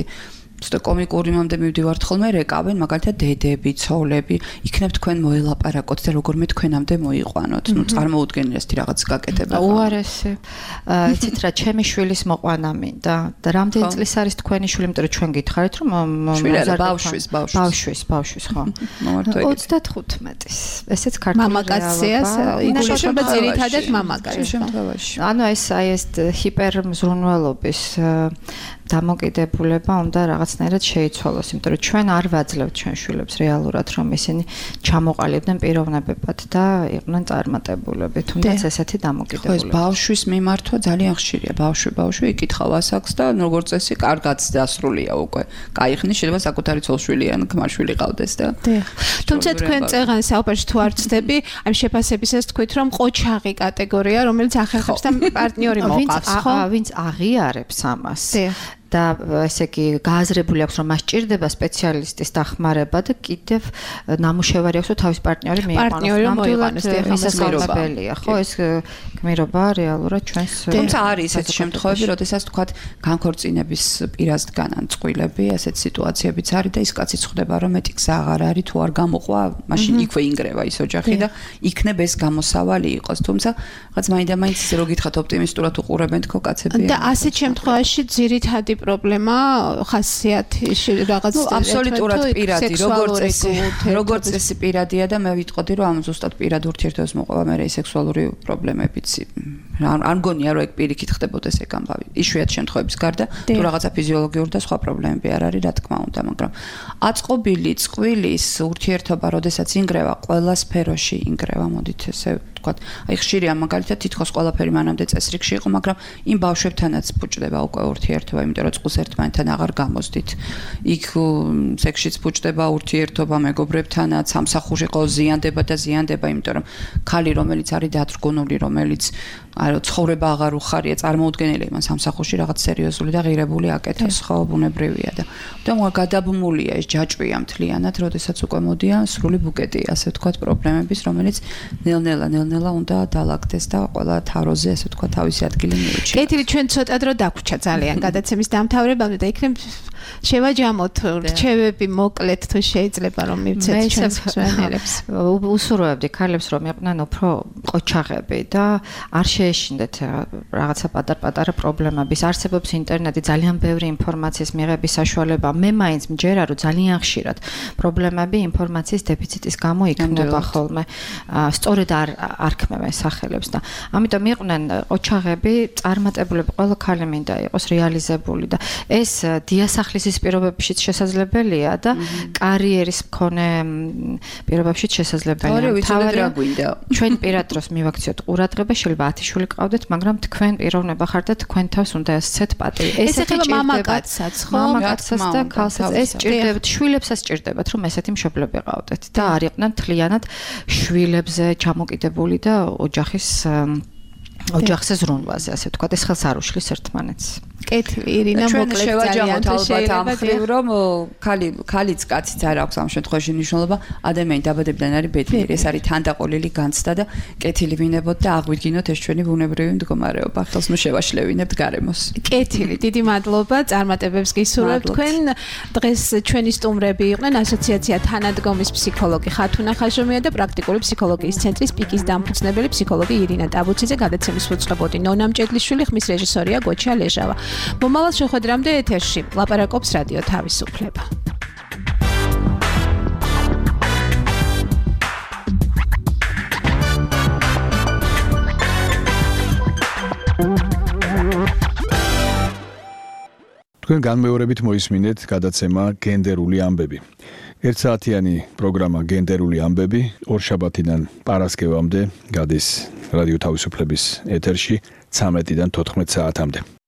ცოტა კომიკური მომდე მივდივართ ხოლმე რეკავენ მაგალითად დედები, ცოლები, იქნებ თქვენ მოელაპარაკოთ და როგორმე თქვენამდე მოიყვანოთ. ნუ წარმოუდგენია ეს რაღაც გაკეთება. უარესი. იცით რა, ჩემი შვილის მოყვანა მინდა და რამდენი წლის არის თქვენი შვილი, იმიტომ რომ ჩვენ გითხარით რომ ბავშვის, ხო. 35-ის. ესეც ქართული მამაკაცია, იგულისხმება ძირითადად მამაკაცს. ანუ ეს ჰიპერმზრუნველობის დამოკიდებულება უნდა რაღაცნაირად შეიცვალოს, იმიტომ რომ ჩვენ არ ვაძლევთ ჩვენ შვილებს რეალურად, რომ ისინი ჩამოყალიბდნენ პიროვნებებად და იყვნენ წარმატებულები, თუნდაც ესეთი დამოკიდებულება. ხო, ეს ბავშვის მიმართვა ძალიან ხშირია. ბავშვი იკითხავ ასაკს და როგორც წესი, კარგად დასრულია უკვე. კაიხნის შეიძლება საკუთარი ცოლშვილი ან ქმარშვილი ყავდეს და. თუმცა თქვენ წეღან საუბარში თუ არ ვწდები, ამ შეფასებისას თქვით, რომ ყოჩაღი კატეგორია, რომელიც ახერხებს და პარტნიორი მოყავს, ხო? ვინც აღიარებს ამას. და ესე იგი გააზრებული აქვს რომ მას ჭირდება სპეციალისტის დახმარება და კიდევ ნამუშევარი აქვს რომ თავის პარტნიორი მოიყვანოს. მისასალმებელია, ხო, ეს გმირობა რეალურად ჩვენს თუმცა არის ესეთი შემთხვევები, როდესაც თქვათ განქორწინების პირას დგანან წყვილები, ესეთ სიტუაციებიც არის და ის კაციც ხვდება რომ მეტი გზა აღარ არის, თუ არ გამოყვა, მაშინ იქვე ინგრევა ის ოჯახი და იქნებ ეს გამოსავალი იყოს. თუმცა რაღაც მაინდა-მაინც ისე რო გითხრათ ოპტიმისტურად უყურებენ თქო კაცები. და ასეთ შემთხვევაში ძირითადი პრობლემა ხასიათი რაღაც აბსოლუტურად პირადი, როგორც წესი პირადია და მე ვიტყოდი რომ ამ ზუსტად პირად ურთიერთობას მოყვება მე სექსუალური პრობლემებიც არ მგონია რომ ეგ პირიქით ხდებოდეს ეგ ამბავი. იშვიათ შემთხვევების გარდა თუ რაღაცა ფიზიოლოგიური და სხვა პრობლემები არ არის, რა თქმა უნდა, მაგრამ აწყობილი წყვილის ურთიერთობა, როდესაც ინგრევა, ყველა სფეროში ინგრევა, მოდით ესე ვთქვათ. აი ხშირია მაგალითად თითქოს ყველაფერი მანამდე წესრიგში იყო, მაგრამ იმ ბავშვებთანაც ფუჭდება უკვე ურთიერთობა, იმიტომ რომ წყვილს ერთმანეთთან აღარ გამოსდით. იქ სექსშიც ფუჭდება ურთიერთობა მეგობრებთანაც, სამსახურში ყო ზიანდება და ზიანდება, იმიტომ რომ ქალი რომელიც არის დათრგუნული, რომელიც არა ცხოვრება აღარ უხარია, წარმოუდგენელია იმან სამსახურში რაღაც სერიოზული და ღირებული აკეთოს, ხო, ბუნებრივია და გადაბმულია ეს ჯაჭვია მთლიანად, როდესაც უკვე მოდიან სრული ბუკეტი, ასე ვთქვათ, პრობლემების, რომელიც ნელ-ნელა უნდა დაალაგდეს და ყველა თავროზე, ასე ვთქვათ, თავისი ადგილი მიუჩიოს. კეთილი, ჩვენ ცოტა დრო დაგვჭა ძალიან გადაცემის დამთავრებამდე და იქნებ შევაჯამოთ რჩევები მოკლედ თუ შეიძლება რომ მივცეთ ჩვენს მსმენელებს. უსურვებდი ქალებს რომ იყვნენ უფრო ყოჩაღები და არ შეეშინდეთ რაღაცა პატარ-პატარა პრობლემების. არსებობს ინტერნეტი, ძალიან ბევრი ინფორმაციის მიღების საშუალება. მე მაინც მჯერა რომ ძალიან ხშირად პრობლემები ინფორმაციის დეფიციტის გამო იქნება ხოლმე. სწორედ არ ქმევენ სახელებს და ამიტომ იყვნენ ყოჩაღები, წარმატებულები, ყველა ქალი მინდა იყოს რეალიზებული და ეს დიასახლისის პირობებშიც შესაძლებელია და კარიერის მქონე პირობებშიც შესაძლებელია. თავარია გვინდა. ჩვენ პირად დროს მივაქციოთ ყურადღება, შეიძლება 10 შვილი გყავდეთ, მაგრამ თქვენ პიროვნება ხართ და თქვენ თავს უნდა ესცეთ პატივი. ეს ეხება მამაკაცსაც, ხო? მამაკაცსაც და ქალსაც ეს ჭირდებათ, შვილებსაც ჭირდებათ, რომ ესეთი მშობლები ყავდეთ და არ იყვნენ მთლიანად შვილებზე ჩამოკიდებული და ოჯახზე ზრუნვაზე, ასე ვთქვათ, ეს ხელს არ უშლის ერთმანეთს. კეთილი, ირინა, მოკლედ ძალიან ალბათ ამ ხრივ, რომ ქალიც კაციც არ აქვს ამ შემთხვევაში მნიშვნელობა, ადამიანი დაბადებიდან არის ბედნიერი, ეს არის თანდაყოლილი განცდა და კეთილი ვინებოთ და აღვიდგინოთ ეს ჩვენი ბუნებრივი მდგომარეობა. ხელს ნუ შევაშლევინებთ გარემოს. კეთილი, დიდი მადლობა, წარმატებებს გისურვებთ თქვენ. დღეს ჩვენი სტუმრები იყვნენ ასოციაცია თანადგომის ფსიქოლოგი ხათუნა ხაშომია და პრაქტიკული ფსიქოლოგიის ცენტრის პიკის დამფუძნებელი ფსიქოლოგი ირინა ტაბუციძე. გადაცემის უწყებოდი ნონა მჭედლიშვილი, ხმის რეჟისორია გოჩა ლეჟავა. მომავალ შეხვედრამდე ეთერში ლაპარაკობს რადიო თავისუფლება. თქვენ განმეორებით მოისმინეთ გადაცემა გენდერული ამბები. ერთსაათიანი პროგრამა გენდერული ამბები ორშაბათიდან პარასკევამდე გადის რადიო თავისუფლების ეთერში 13-დან 14 საათამდე.